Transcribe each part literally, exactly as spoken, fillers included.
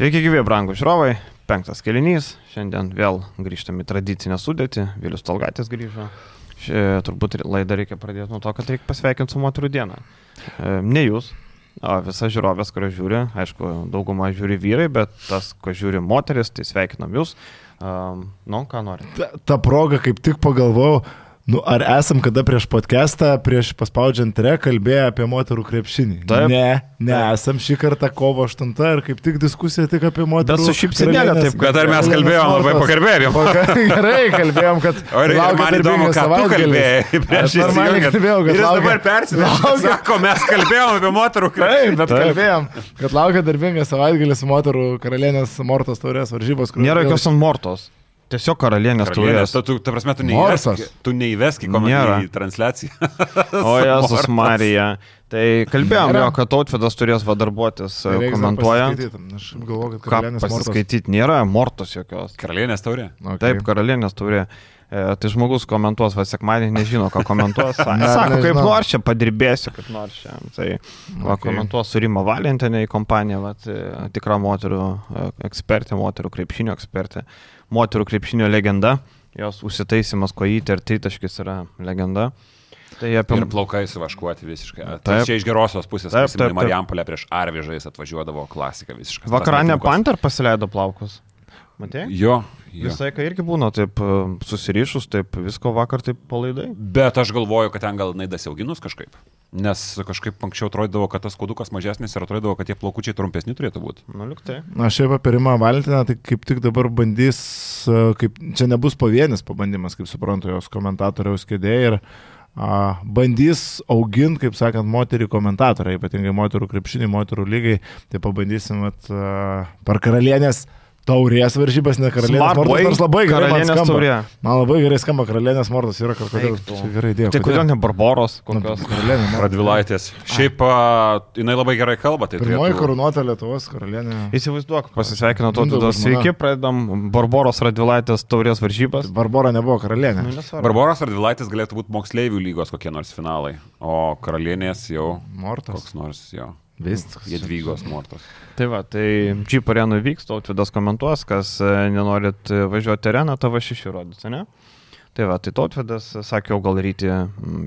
Sveiki gyvi, brangūs žiūrovai, penktas kėlinys, šiandien vėl grįžtame į tradicinę sudėtį, Vilius Talgaitis grįžo. Ši, turbūt laidą reikia pradėti nuo to, kad reikia pasveikinti su moterų dieną. E, ne jūs, o visa žiūrovės, kurio žiūri, aišku, dauguma žiūri vyrai, bet tas, ko žiūri moteris, tai sveikinam jūs. E, nu, ką nori? Ta, ta proga kaip tik pagalvojau, nu, ar esam kada prieš podcastą, prieš paspaudžiant re, kalbėję apie moterų krepšinį? Taip. Ne, ne, esam šį kartą kovo aštuntą ir kaip tik diskusija tik apie moterų. Bet su šypsenėlė taip, kad ar mes kalbėjom labai pakalbėjom. Gerai, kalbėjom, kad o ir man įdomu, ką tu kalbėjai. Aš normaliai kalbėjau, kad ir laukia... dabar persimešė. Sako, mes kalbėjom apie moterų krepšinį. Taip, bet kalbėjom, kad laukia darbingas savaitgalis moterų karalienės Mortos taurės varžybos. Nėra jokios ant Mortos. Tiesiog karalienės taurės. Tu, ta prasme, tu neįveski, tu neįveski komentarą į transliaciją. O Jėzus Marija. Tai kalbėjom jo, kad Tautvydas turės va darbuotis komentuojant. Aš galvoju, kad karalienės Mortos. Ką pasiskaityti? Nėra Mortos jokios. Karalienės taurė? Okay. Taip, karalienės taurė. E, tai žmogus komentuos, va sekmadienį nežino, ką komentuos. Sako, ne, kaip nors čia padirbėsiu, kaip nors čia. Tai va, okay. Komentuos su Rima Valentinė į kompaniją, va, tikra moterų ekspertė, moterų krepšinio ekspertė. Moterų krepšinio legenda, jos užsitaisimas kojytė ir tritaškis yra legenda. Tai apie... Ir plaukai suvaškuoti visiškai. Tai čia iš gerosios pusės, prisimenu, Marijampolė prieš Arvežais atvažiuodavo klasika visiškai. Vakaranė Panter pasileido plaukus. Matei? Jo. jo. Visai, kai irgi būna taip susirišus, taip visko vakar taip palaidai. Bet aš galvoju, kad ten gal naidas auginus kažkaip. Nes kažkaip anksčiau atrodydavo, kad tas kodukas mažesnis ir atrodydavo, kad tie plaukučiai trumpesni turėtų būti. Nu, liuktai. Na, šiaip apie Rimą Valentinę, tai kaip tik dabar bandys, kaip, čia nebus pavienis pabandymas, kaip suprantu, jos komentatoriaus kėdė ir a, bandys auginti, kaip sakant, moterį komentatorą, ypatingai moterų krepšinį, moterų lygai, tai pabandysim at, a, per karalienės taurės varžybas, ne karalienės Mortos, nors labai gerai man skamba. Taurė. Man labai gerai skamba karalienės Mortos, yra kažkodėl gerai dėjo. Tai kodėl ne Barboros, kokios karalienės? Radvilaitės. Šiaip a, jinai labai gerai kalba. Tai pirmoji turėtų... karūnuota Lietuvos karalienė. Įsivaizduok, pasisveikino Tautvydas. Sveiki, pradedam Barboros Radvilaitės taurės varžybas. Barbora nebuvo karalienė. Nu, Barboros Radvilaitės galėtų būti moksleivių lygos kokie nors finalai, o karalienės jau Mortos. Koks nors jo. Viskas. Jadvygos Mortos. Tai va, tai Jeep arenų vyks, Tautvydas komentuos, kas nenorit važiuoti areną, tavo šeši rodys, ne? Tai va, tai Tautvydas sakė, gal ryti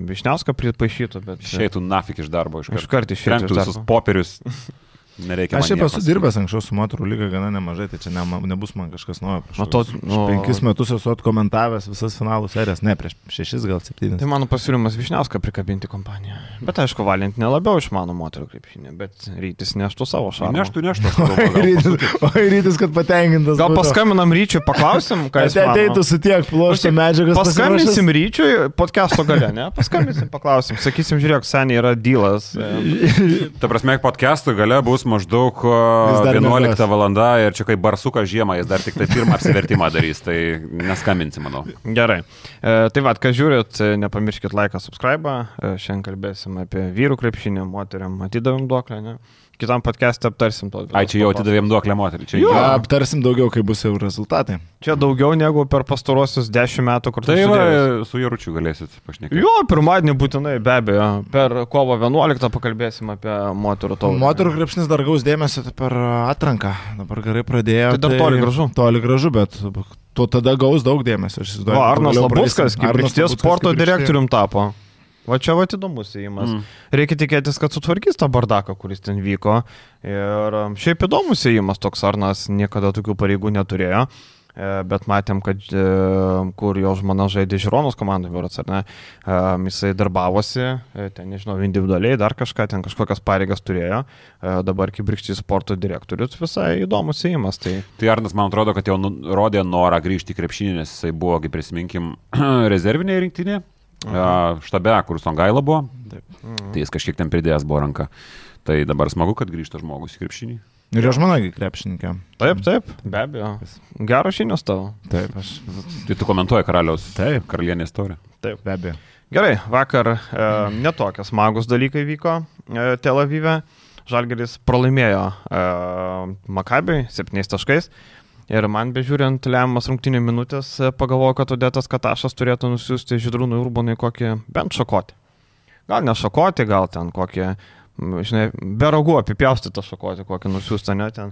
Višniauską pripaišytų, bet... Išeitų nafik iš darbo iš karto. Iš karto išeitų iš darbo. Visus popierius. Nereikia. Aš šiaip esu dirbęs anksčiau su moterų lyga gana nemažai, tai čia ne, nebus man kažkas naujo. Nu, to, nu, penkis metus esu atkomentavęs visas finalų serijas, ne prieš šešis, gal septynis. Tai mano pasiūlymas Višniauską prikabinti kompaniją. Bet aišku, Valentinė labiau išmano moterų krepšinį, bet Rytis neštų savo šarmą. Neštų, neštų. O Rytis, kad patenkintas. Gal paskambinam Ryčiui, paklausim, ką jis mano. Ateitų su tiek pluošto medžiagas. Paskambinsim Ryčiui podcasto gale, ne? Paskambinsim, paklausim. Sakysim, žiūrėk, seniai yra dealas. Ta prasme, podcasto gale bus maždaug vienuolikta valanda ir čia kaip barsukas žiemą, jis dar tik tai pirmą apsivertimą darys, tai neskambinsi, manau. Gerai. E, tai vad, ką žiūrit, nepamirškit laiką, subscribe. E, šiandien kalbėsim apie vyrų krepšinį, moteriam atidavim duoklę, ne? Kitam podcast'e aptarsim to. Ai, čia jau atidavėm duoklę moterį. Čia jo, jau aptarsim daugiau, kai bus jau rezultatai. Čia daugiau negu per pastarosius dešimt metų, kur tu tai sudėjus. Su Jaručiu galėsit pašnekėti. Jo, pirmadienį būtinai, be abejo. Per kovo vienuoliktą pakalbėsim apie moterų taurę. Moterų krepšinis dar gaus dėmesio per atranką. Dabar gerai pradėjo. Tai dar toli gražu. Toli gražu, bet tuo tada gaus daug dėmesio. O Arnas Labuskas, kaip Rykštės sporto direktorium tapo. Va čia va įdomus įėjimas. Mm. Reikia tikėtis, kad sutvarkys tą bardaką, kuris ten vyko. Ir šiaip įdomus įėjimas toks Arnas niekada tokių pareigų neturėjo. Bet matėm, kad kur jo žmona žaidė Žironos komandai, vyras, ar ne, jisai darbavosi, ten nežinau, individualiai dar kažką, ten kažkokias pareigas turėjo. Dabar kaip Rykštės sporto direktorius visai įdomus įėjimas. Tai... tai Arnas, man atrodo, kad jau rodė norą grįžti į krepšinį, nes jisai buvo, kaip prisiminkim, rezervinėje rinktinėje. Uh, štabe, kur Songaila buvo, mhm. Tai jis kažkiek ten pridėjęs buvo ranką. Tai dabar smagu, kad grįžta žmogus į krepšinį. Ir jo žmona krepšininkė. Taip, taip, be abejo. Geros žinios tavo. Taip, aš. Tai tu komentuoji karaliaus, taip, karalienės taurę. Taip, be abejo. Gerai, vakar e, netokias smagus dalykai vyko e, Tel Avive. Žalgiris pralaimėjo e, Makabiui septyniais taškais. Ir man bežiūrint lemiamas rungtynių minutės, pagalvoju, kad Odetas Katašas turėtų nusiųsti Žydrūnui Urbonui kokį bent šakotį. Gal ne šakotį, gal ten kokį, žinai, be ragų apipjaustytą šakotį, kokį nusiųstą, ne ten.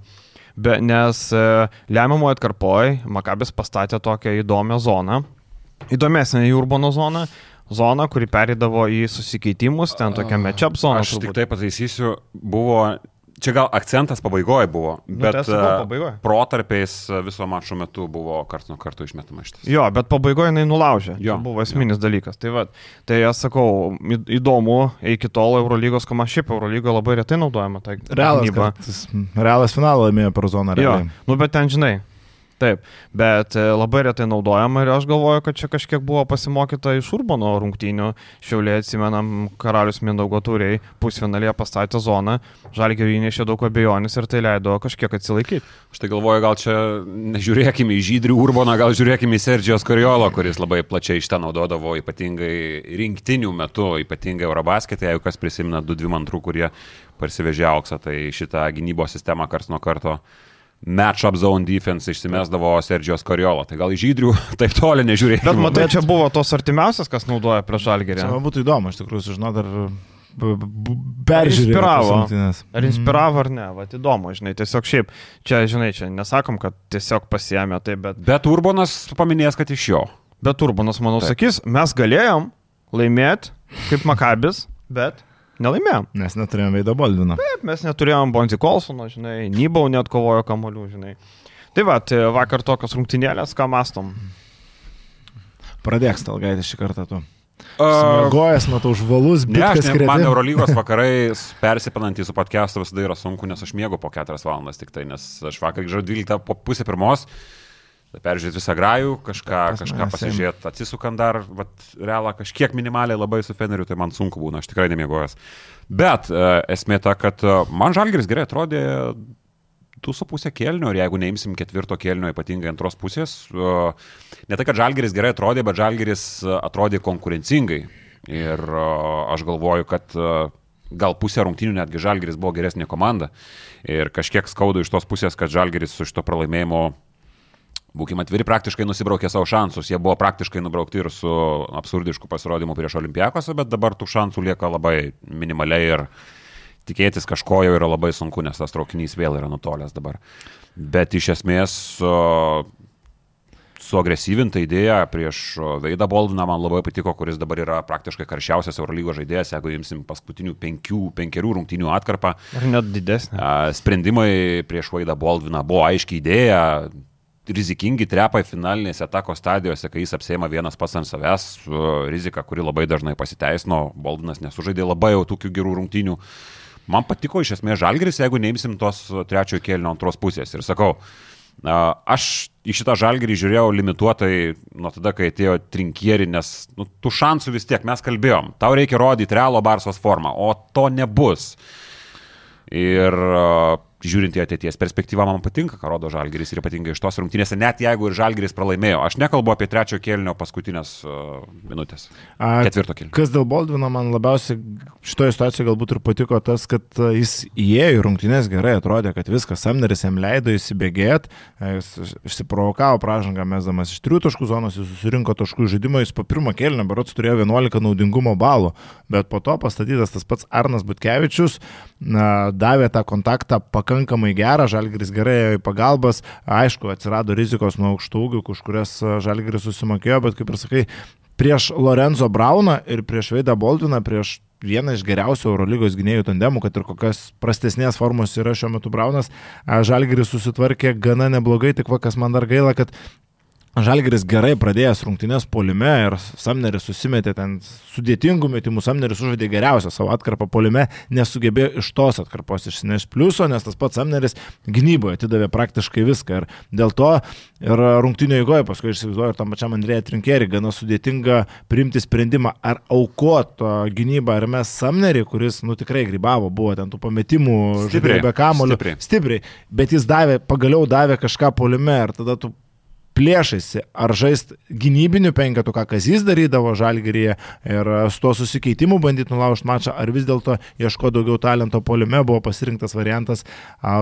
be, nes e, lemiamoje atkarpoje Makabis pastatė tokią įdomią zoną, įdomesnę į Urbono zoną, zoną, kuri perėdavo į susikeitimus, ten tokia match-up zona. Aš tik tai pataisysiu, buvo... Čia gal akcentas pabaigoje buvo, bet nu, protarpiais viso mačo metu buvo karts nuo karto išmetama šitas. Jo, bet pabaigoje jinai nulaužė. Jo, tai buvo esminis jo. dalykas. Tai, va, tai aš sakau, įdomu, iki tol Eurolygos komanda, šiaip Eurolygoje labai retai naudojama. Tai Realas, Realas finalą laimėjo per zoną. Jo, nu bet ten žinai. Taip, bet labai retai naudojama ir aš galvoju, kad čia kažkiek buvo pasimokyta iš Urbono rungtynių. Šiauliai, atsimenam, Karalius Mindaugo Tauriai pusfinalėje pastatė zoną, Žalgiriui įnešė daug abejonės ir tai leido kažkiek atsilaikyti. Aš tai galvoju, gal čia nežiūrėkime į Žydrių Urboną, gal žiūrėkime į Sergijos Koriolo, kuris labai plačiai šitą naudodavo ypatingai rinktinių metu, ypatingai Eurobasketė, jeigu kas prisimena du dvim antrų, kurie parsivežė auksą, tai šitą gynybos sistemą karts nuo karto match-up zone defense išsimesdavo Sergijos Koriolo. Tai gal į Žydrių taip toli nežiūrėjau. Bet matai, čia buvo tos artimiausias, kas naudoja prieš Žalgirį. Man būtų įdomu, iš tikrųjų, sužinoti, ar peržiūrėjau. Ar inspiravo ar ne, va, įdomu, žinai, tiesiog šiaip, čia, žinai, čia nesakom, kad tiesiog pasiėmė tai, bet... Bet Urbonas paminės, kad iš jo. Bet Urbonas, manau, taip. sakys, mes galėjom laimėti kaip Makabis, bet... Nelaimėjom. Mes neturėjom Veido Boldvino. Taip, mes neturėjom Bonzi Kolsono, žinai, Nybau net kovojo kamuolių, žinai. Tai va, tai vakar tokios rungtynėlės, ką mastom. Pradėk, Stalgaitė, šį kartą tu. Smėgojas, uh, matau, žvalus, bitkas kredi. Man Eurolygos vakarai persipinantys su podcastu visada yra sunku, nes aš miegu po keturias valandas tik tai, nes aš vakar grįžau dvyliktą po pusę pirmos. Peržiūrėti visą grajų, kažką, kažką pasižiūrėti, atsisukant dar, vat, realą kažkiek minimaliai labai su Feneriu, tai man sunku būna, aš tikrai nemiegojęs. Bet e, esmė ta, kad man Žalgiris gerai atrodė du su pusė kėlinio ir jeigu neimsim ketvirto kėlinio, ypatingai antros pusės, e, ne tai, kad Žalgiris gerai atrodė, bet Žalgiris atrodė konkurencingai. Ir e, aš galvoju, kad e, gal pusė rungtynių netgi Žalgiris buvo geresnė komanda. Ir kažkiek skaudu iš tos pusės, kad Žalgiris su šito pralaimėjimo būkime atviri, praktiškai nusibraukė savo šansus. Jie buvo praktiškai nubraukti ir su absurdišku pasirodymu prieš Olimpiakosą, bet dabar tų šansų lieka labai minimaliai ir tikėtis kažko jau yra labai sunku, nes tas traukinys vėl yra nutolęs dabar. Bet iš esmės suagresyvinta idėja prieš Veidą Boldviną man labai patiko, kuris dabar yra praktiškai karščiausias Eurolygos žaidėjas, jeigu imsim paskutinių penkių, penkerių rungtynių atkarpą. Ar net didesnė. Sprendimai prieš Veidą Boldviną buvo aiškiai idėja, rizikingi trepai finalinėse atakos stadijose, kai jis apsėma vienas pats ant savęs, rizika, kuri labai dažnai pasiteisino, Boldvinas nesužaidė labai jau tokių gerų rungtynių. Man patiko iš esmės Žalgiris, jeigu neimsim tos trečiojo kėlinio antros pusės. Ir sakau, aš į šitą Žalgirį žiūrėjau limituotai nuo tada, kai atėjo Trinkieri, nes nu, tų šansų vis tiek mes kalbėjom. Tau reikia rodyti realo Barsos formą, o to nebus. Ir žiūrint į ateities perspektyvą, man patinka, ką rodo Žalgiris ir ypatingai iš tos rungtynėse, net jeigu ir Žalgiris pralaimėjo. Aš nekalbu apie trečiojo kėlinio paskutinės uh, minutės. Ketvirto kėlinio. Kas dėl Boldvino man labiausiai šitoje situacijoje galbūt ir patiko tas, kad jis įėjo į rungtynės gerai, atrodė, kad viskas, Samneris jam leido įsibėgėti, jis išsiprovokavo pražangą, mesdamas iš trijų taškų zonos, jis susirinko taškų žaidimo, jis po pirmo kėlinio berods turėjo vienuolika naudingumo balų, bet po to pastatytas tas pats Arnas Butkevičius na, davė tą kontaktą pakankamai gerą, Žalgiris gerai ėjo į pagalbas, aišku, atsirado rizikos nuo aukštų ūgių, už kurias Žalgiris susimokėjo, bet kaip ir sakai, prieš Lorenzo Brauną ir prieš Veidą Boldviną, prieš vieną iš geriausių Eurolygos gynėjų tandemų, kad ir kokias prastesnės formos yra šiuo metu Braunas, Žalgiris susitvarkė gana neblogai, tik va, kas man dar gaila, kad Žalgiris gerai pradėjęs rungtynės puolime ir Samneris susimetė ten sudėtingų metimų, Samneris užvedė geriausią savo atkarpą puolime, nesugebėjo iš tos atkarpos išsinešti pliuso, nes tas pats Samneris gynyboje atidavė praktiškai viską ir dėl to ir rungtynio eigoje, paskui aš įsivaizduoju ir tam pačiam Andrėja Trinkieri, gana sudėtinga priimti sprendimą ar aukoti gynybą ar mes Samnerį, kuris nu tikrai grybavo, buvo ten tų pametimų, žaidėjo be kamuolių, stipriai. stipriai, bet jis davė, pagaliau davė kažką puolime ir tada tu plėšaisi, ar žaist gynybinių penketų, ką Kazys darydavo Žalgiryje ir su to susikeitimu bandyti nulaužti mačą, ar vis dėlto ieško daugiau talento puolime, buvo pasirinktas variantas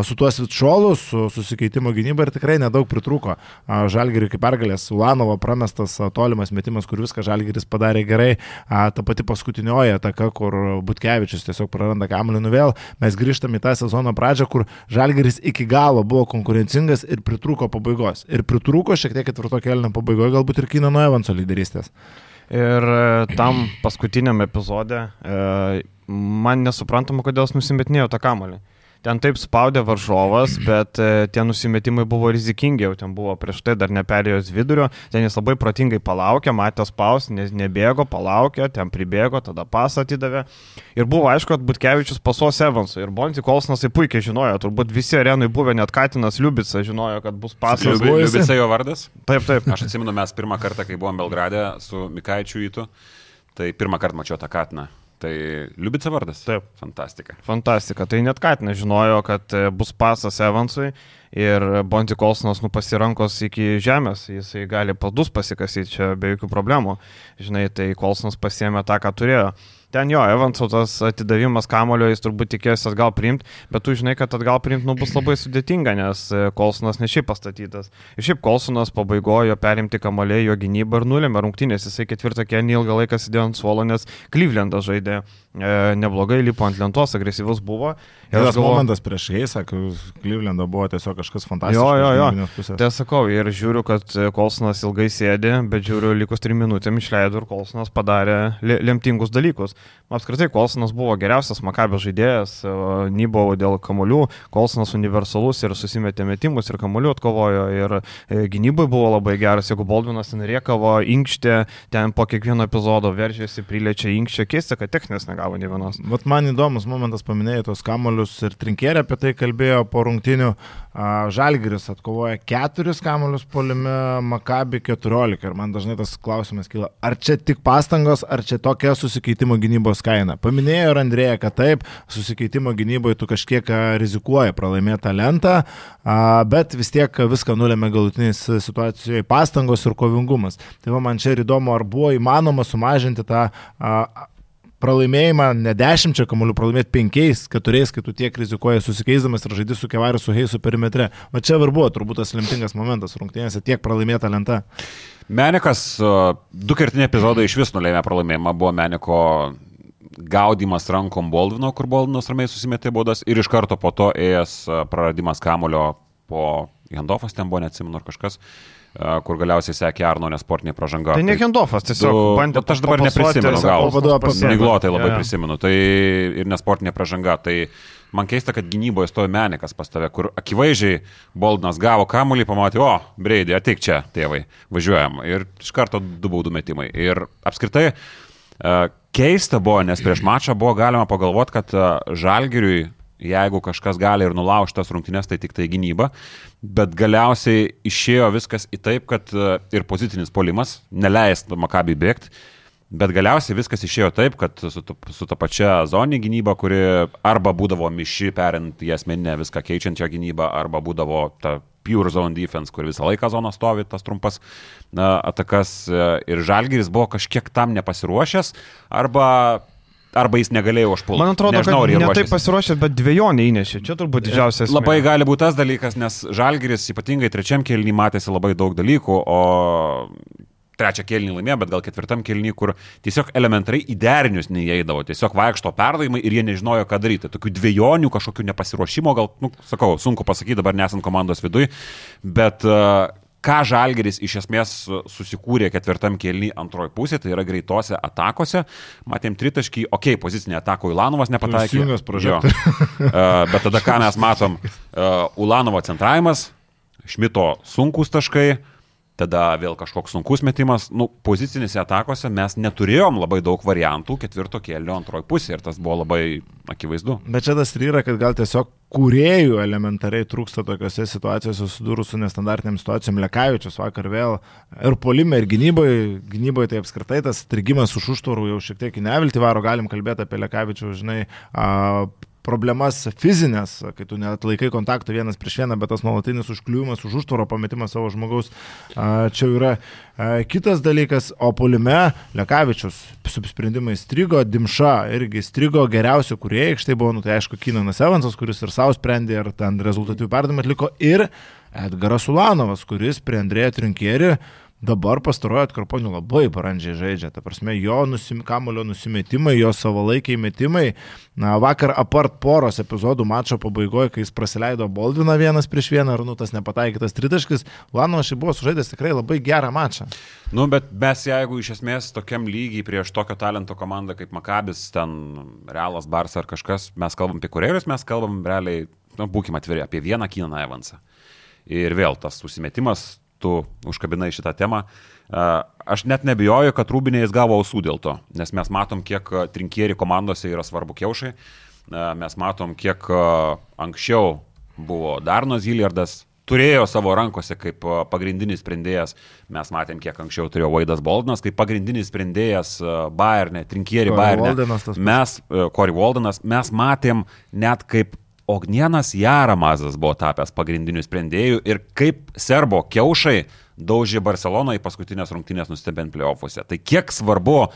su tuo Svitšolu, su susikeitimo gynyba ir tikrai nedaug pritrūko. Žalgiriui kaip pergalės, Ulanovo pramestas tolimas metimas, kur viską Žalgiris padarė gerai, ta pati paskutinioji ataka, kur Butkevičius tiesiog praranda kamuolį nuvėl. Mes grįžtame į tą sezono pradžią, kur Žalgiris iki galo buvo konkurencingas ir pritrūko pabaigos. Ir pritrūko šiek tiek ketvirto kėlinio pabaigoje galbūt ir Keenano Evanso lyderystės. Ir tam paskutiniam epizode man nesuprantama, kodėl jis nusimetinėjo tą kamuolį. Ten taip spaudė varžovas, bet tie nusimetimai buvo rizikingi, jau ten buvo prieš tai dar neperėjus vidurio, ten jis labai protingai palaukė, matė spaus, nebėgo, palaukė, ten pribėgo, tada pasą atidavė. Ir buvo aišku, kad Butkevičius pasuos Evansui. Ir Bonzi Kolsonas tai puikiai žinojo, turbūt visi arenui buvę, net Katinas Liubica žinojo, kad bus pasas. Liubica jo vardas? Taip, taip. Aš atsimenu, mes pirmą kartą, kai buvom Belgrade su Mikaičiu Įtu, tai pirmą kartą mačiau tą Katiną. Tai Liubica vardas? Taip. Fantastika. Fantastika. Tai net Katinas žinojo, kad bus pasas Evansui ir Bonzi Kolsonas nu pasirankos iki žemės, jisai gali padus pasikasyti čia be jokių problemų. Žinai, tai Kolsonas pasiėmė tą, ką turėjo. Ten jo, Evanso tas atidavimas kamulio, jis turbūt tikėsi atgal priimti, bet tu žinai, kad atgal priimti nu, bus labai sudėtinga, nes Kolsonas ne šiaip pastatytas. Ir šiaip Kolsonas pabaigojo perimti kamuolį, jo gynybą ir nulėmė rungtynės. Jisai ketvirtą kėlinį ilgą laiką sėdėjo ant suolo, nes Clevelandas žaidė e, neblogai, lipo ant lentos, agresyvus buvo. Ir tas galvo... momentas prieš Heisą, kai Clevelando buvo tiesiog kažkas fantastiškas. Jo, jo, jo. Tai sakau, ir žiūriu, kad Kolsonas ilgai sėdė, bet žiūriu, likus trim minutėm išleido ir Kolsonas padarė lemtingus dalykus. Apskritai, Kolsonas buvo geriausias Makabio žaidėjas, Nybo dėl kamuolių, Kolsonas universalus ir susimetė metimus ir kamuolių atkovojo ir gynybai buvo labai geras, jeigu Baldvinas ten riekavo, inkštė, ten po kiekvieno epizodo veržėsi, priliečia inkštė, keista, kad techninės negavo nė vienos. Vat man įdomus momentas paminėjai tos kamuolius ir Trinkierė apie tai kalbėjo po rungtynių. Žalgiris atkovoja keturis kamuolius puolime, Makabi keturiolika ir man dažnai tas klausimas kyla, ar čia tik pastangos, ar čia tokia susikeitimo gynybos kaina. Paminėjo ir Andrėja, kad taip, susikeitimo gynyboje tu kažkiek rizikuoji pralaimėtą lentą, bet vis tiek viską nulėmė galutinės situacijoje pastangos ir kovingumas. Tai va, man čia ir įdomu, ar buvo įmanoma sumažinti tą pralaimėjimą, ne dešimčia kamuolių, pralaimėti penkiais, keturiais, kai tu tiek rizikuoji susikeisdamas ir žaidži su Kevariu, su Heisu perimetre. Va čia ir buvo turbūt tas lemtingas momentas rungtynėse, tiek pralaimėta lenta. Menikas, du kertiniai epizodai iš vis nulėmė pralaimėjimą, buvo Meniko gaudimas rankom Baldvino, kur Baldvinas ramiai susimetė baudas ir iš karto po to ėjęs praradimas kamulio po Hendofas, ten buvo, neatsimenu ar kažkas, kur galiausiai sekė Arno nesportinė pražanga. Tai ne Hendofas, tiesiog du, bandė. Aš dabar neprisimenu, gal miglotai labai ja. prisimenu, tai ir nesportinė pražanga, tai man keista, kad gynyboje stojo Menikas pas tave, kur akivaizdžiai Baldvinas gavo kamuolį, pamatė, o, Breidį, ateik čia, tėvai, važiuojam. Ir iš karto du baudų metimai. Ir apskritai keista buvo, nes prieš mačą buvo galima pagalvoti, kad Žalgiriui, jeigu kažkas gali ir nulaužti tas rungtynės, tai tik tai gynyba, bet galiausiai išėjo viskas į taip, kad ir pozicinis puolimas neleis Makabi bėgti, bet galiausiai viskas išėjo taip, kad su, su ta pačia zoninė gynyba, kuri arba būdavo miši, perint į asmeninę viską keičiančią gynybą, arba būdavo ta pure zone defense, kur visą laiką zona stovi, tas trumpas na, atakas ir Žalgiris buvo kažkiek tam nepasiruošęs, arba arba jis negalėjo užpulti. Man atrodo, Nežinau, kad ne taip pasiruošęs, bet dvejonė įnešė. Čia turbūt didžiausias. Labai gali būti tas dalykas, nes Žalgiris ypatingai trečiam kėlinį matėsi labai daug dalykų, o trečią kėlinį laimėjo, bet gal ketvirtam kėlinį, kur tiesiog elementariai į derinius neįeidavo, tiesiog vaikšto perdavimai ir jie nežinojo, ką daryti. Tokių dviejonių, kažkokių nepasiruošimo, gal, nu, sakau, sunku pasakyti dabar nesant komandos viduj, bet uh, ką Žalgiris iš esmės susikūrė ketvirtam kėlinį antroji pusė, tai yra greitose atakose. Matėm tritaškį, okei, okay, pozicinė atako Ulanovas nepataikė. Jo. Bet tada ką mes matom, Ulanovo centravimas, Šmito sunkus taškai, tada vėl kažkoks sunkus metimas. Nu, pozicinėse atakose mes neturėjom labai daug variantų ketvirto kėlinio antroji pusė ir tas buvo labai akivaizdu. Bet čia tas ir yra, kad gal tiesiog kūrėjų elementariai trūksta tokiose situacijose susidūrus su nestandartiniam situacijom. Lekavičius vakar vėl ir puolime, ir gynyboje, gynyboje tai apskritai tas strigimas už užtvarų jau šiek tiek į neviltį varo, galim kalbėti apie Lekavičių, žinai, a, problemas fizinės, kai tu net laikai kontaktą vienas prieš vieną, bet tas nuolatinis užkliūjimas, už užtvaro pametimas savo žmogaus, čia yra kitas dalykas, o puolime Lekavičius su sprendimais strigo, Dimša irgi strigo geriausių kūrėjai, štai buvo, nu tai aišku, Kynanas Evansas, kuris ir savo sprendė, ir ten rezultatyvių perdavimų atliko, ir Edgaras Ulanovas, kuris prie Andrėjo Trinkieri dabar pastarojo atkarponių labai brandžiai žaidžia. Ta prasme, jo nusim, kamulio nusimetimai, jo savalaikiai metimai. Na, vakar apart poros epizodų mačo pabaigoje, kai jis prasileido Boldviną vienas prieš vieną, ar nu tas nepataikytas tritaškis, Ulanovas šiaip buvo sužaidęs tikrai labai gerą mačą. Nu, bet mes jeigu iš esmės tokiam lygiai prieš tokio talento komandą kaip Makabis, ten Realas, Barsa ar kažkas, mes kalbam apie kurėrius, mes kalbam realiai, nu, būkime atviri, apie vieną Kynaną Evansą. Ir vėl tas užsimetimas, tu užkabinai šitą temą. Aš net nebijoju, kad Rūbinė jis gavo ausų dėl to, nes mes matom, kiek Trinkieri komandose yra svarbu kiaušai, mes matom, kiek anksčiau buvo Darnas Hilliardas, turėjo savo rankose kaip pagrindinis sprendėjas, mes matėm, kiek anksčiau turėjo Vaidas Boldinas, kaip pagrindinis sprendėjas Bayerne, Trinkieri Bayerne, mes, Corey Waldenas, mes matėm net kaip Ognienas Jaramazas buvo tapęs pagrindiniu sprendėju ir kaip serbo kiaušai daužė Barceloną į paskutinės rungtynės nustebint play-offuose. Tai kiek svarbu,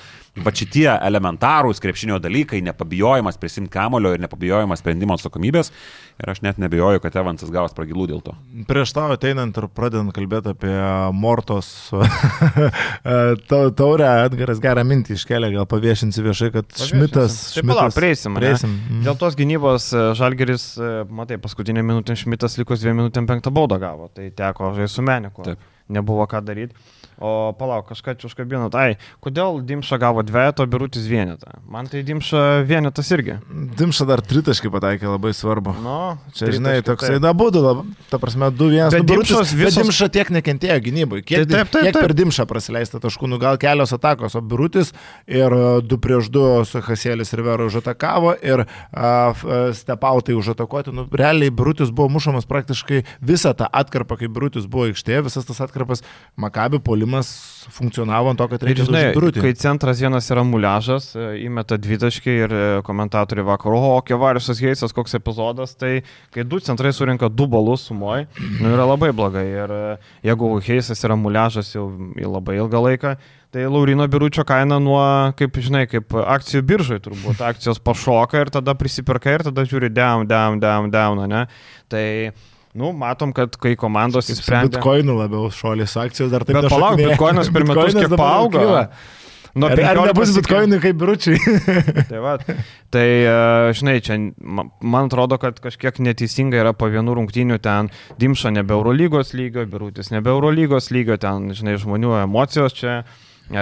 va šitie elementarūs krepšinio dalykai, nepabijojimas prisimti kamulio ir nepabijojimas sprendimo atsakomybės. Ir aš net nebijoju, kad Evansas gavos pragilų dėl to. Prieš tau ateinant ir pradedant kalbėti apie Mortos taurę, Edgaras gerą mintį iškelia, gal paviešinsi viešai, kad Šmitas... Taip, palauk, prieisim. prieisim. Dėl tos gynybos Žalgiris, matai, paskutinė minutė Šmitas likus dviem minutėm penktą baudą gavo, tai teko žaisti su Meniku. Taip. Nebuvo ką daryti. O palauk, kažką čia užkabinot. Ai, kodėl Dimša gavo dvejetą, o Birutis vienetą? Man tai Dimša vienetas irgi. Dimša dar tritaškai pataikė, labai svarbu. No, čia, žinai, toksai dabudu, ta prasme, du vienas. Bet, visos... bet Dimša tiek nekentėjo gynybai. Kiek, taip, taip, taip, kiek per Dimšą prasileista taškų, nu gal kelios atakos, o Birutis ir du prieš du su Hasėlis ir Vero užatakavo ir uh, Stepautai užatakuoti. Nu, realiai Birutis buvo mušamas praktiškai visą tą atkarpą, kai Birutis buvo aikštėje, visas tas atkarpas Makabi polimas funkcionavo ant to, kad reikia žinai, Birutį. Kai centras vienas yra muliažas, įmeta dvitaškį ir komentatoriai vakar, o, Kevariusas Heisas, koks epizodas, tai kai du centrai surinka du balus sumoj, nu, yra labai blogai. Ir jeigu Heisas yra muliažas jau labai ilgą laiką, tai Laurino Biručio kaina nuo, kaip žinai, kaip akcijų biržai turbūt, akcijos pašoka ir tada prisipirka ir tada žiūri down, down, down, down, ne? Tai nu, matom, kad kai komandos įsprendė... Bitcoinų labiau šuolis akcijos dar taip nešokinėja. Bet palauk, Bitcoinas per metus kiek paauga. Nu, ar, ar nebus Bitcoinai kaip Biručiai? Tai va, tai, žinai, čia man atrodo, kad kažkiek neteisinga yra po vienų rungtynių ten Dimša nebe Eurolygos lygio, Birutis nebe Eurolygos lygio, ten, žinai, žmonių emocijos čia... E,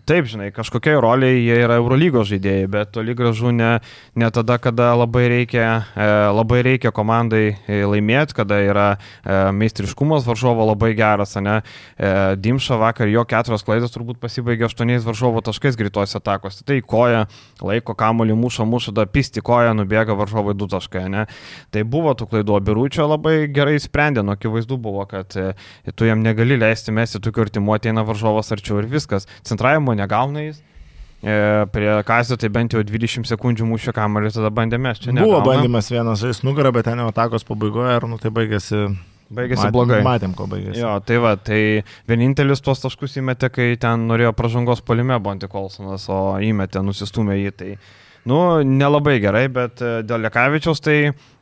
taip, žinai, kažkokiai roliai jie yra Eurolygos žaidėjai, bet toli gražu ne, ne tada, kada labai reikia, e, labai reikia komandai laimėti, kada yra e, meistriškumas varžovo labai geras, ne? E, Dimša vakar jo keturios klaidos turbūt pasibaigė aštuoniais varžovo taškais greitose atakose. Tai koja, laiko kamuolį, muša, muša, da pisti koja, nubėga varžovai du taškai, ne? Tai buvo tų klaidų, Biručio labai gerai sprendė, nu akivaizdu buvo, kad e, tu jam negali leisti mesti tokių artimų, ateina varžovas arčiau ir viskas. Centravimo negauna jis. E, prie Kazio tai bent jau dvidešimt sekundžių mušė kamuolį, tada bandėme, čia negauna. Buvo bandymas vienas žais nugarą, bet ten jau atakos pabaigoje ir nu tai baigėsi... Baigėsi Mat, blogai. Matėm, ko baigėsi. Jo, tai va, tai vienintelis tuos taškus įmetė, kai ten norėjo pražangos puolime Bonti Kolsonas, o įmetė, nusistumė jį. Tai, nu, nelabai gerai, bet dėl Lekavičiaus tai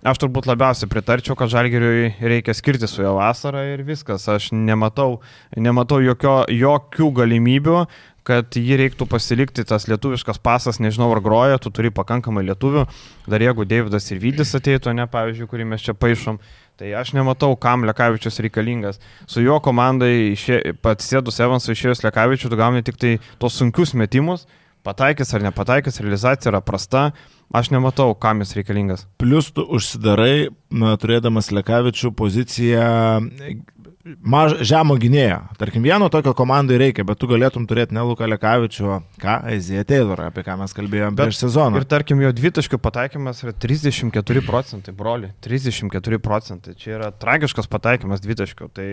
aš turbūt labiausiai pritarčiau, kad Žalgiriui reikia skirti su jo vasarą ir viskas. Aš nematau, nematau jokio, jokių galimybių, kad jį reiktų pasilikti, tas lietuviškas pasas, nežinau ar groja, tu turi pakankamai lietuvių, dar jeigu Deividas ir Vydis ateitų, ne, pavyzdžiui, kurį mes čia paišom, tai aš nematau, kam Lekavičius reikalingas. Su jo komandai pats sėdus Evansui išėjus Lekavičių, tu gauni tik tai tos sunkius metimus, pataikys ar nepataikys, realizacija yra prasta, aš nematau, kam jis reikalingas. Plius tu užsidarai, turėdamas Lekavičių poziciją maž, žemo gynėjo. Tarkim, vieno tokio komandai reikia, bet tu galėtum turėti ne Luką Lekavičių, ką Aizija Taylorą, apie ką mes kalbėjome prieš sezoną. Ir tarkim, jo dvitaškių pataikymas yra trisdešimt keturi procentai, broli, trisdešimt keturi procentai. Čia yra tragiškas pataikymas dvitaškių, tai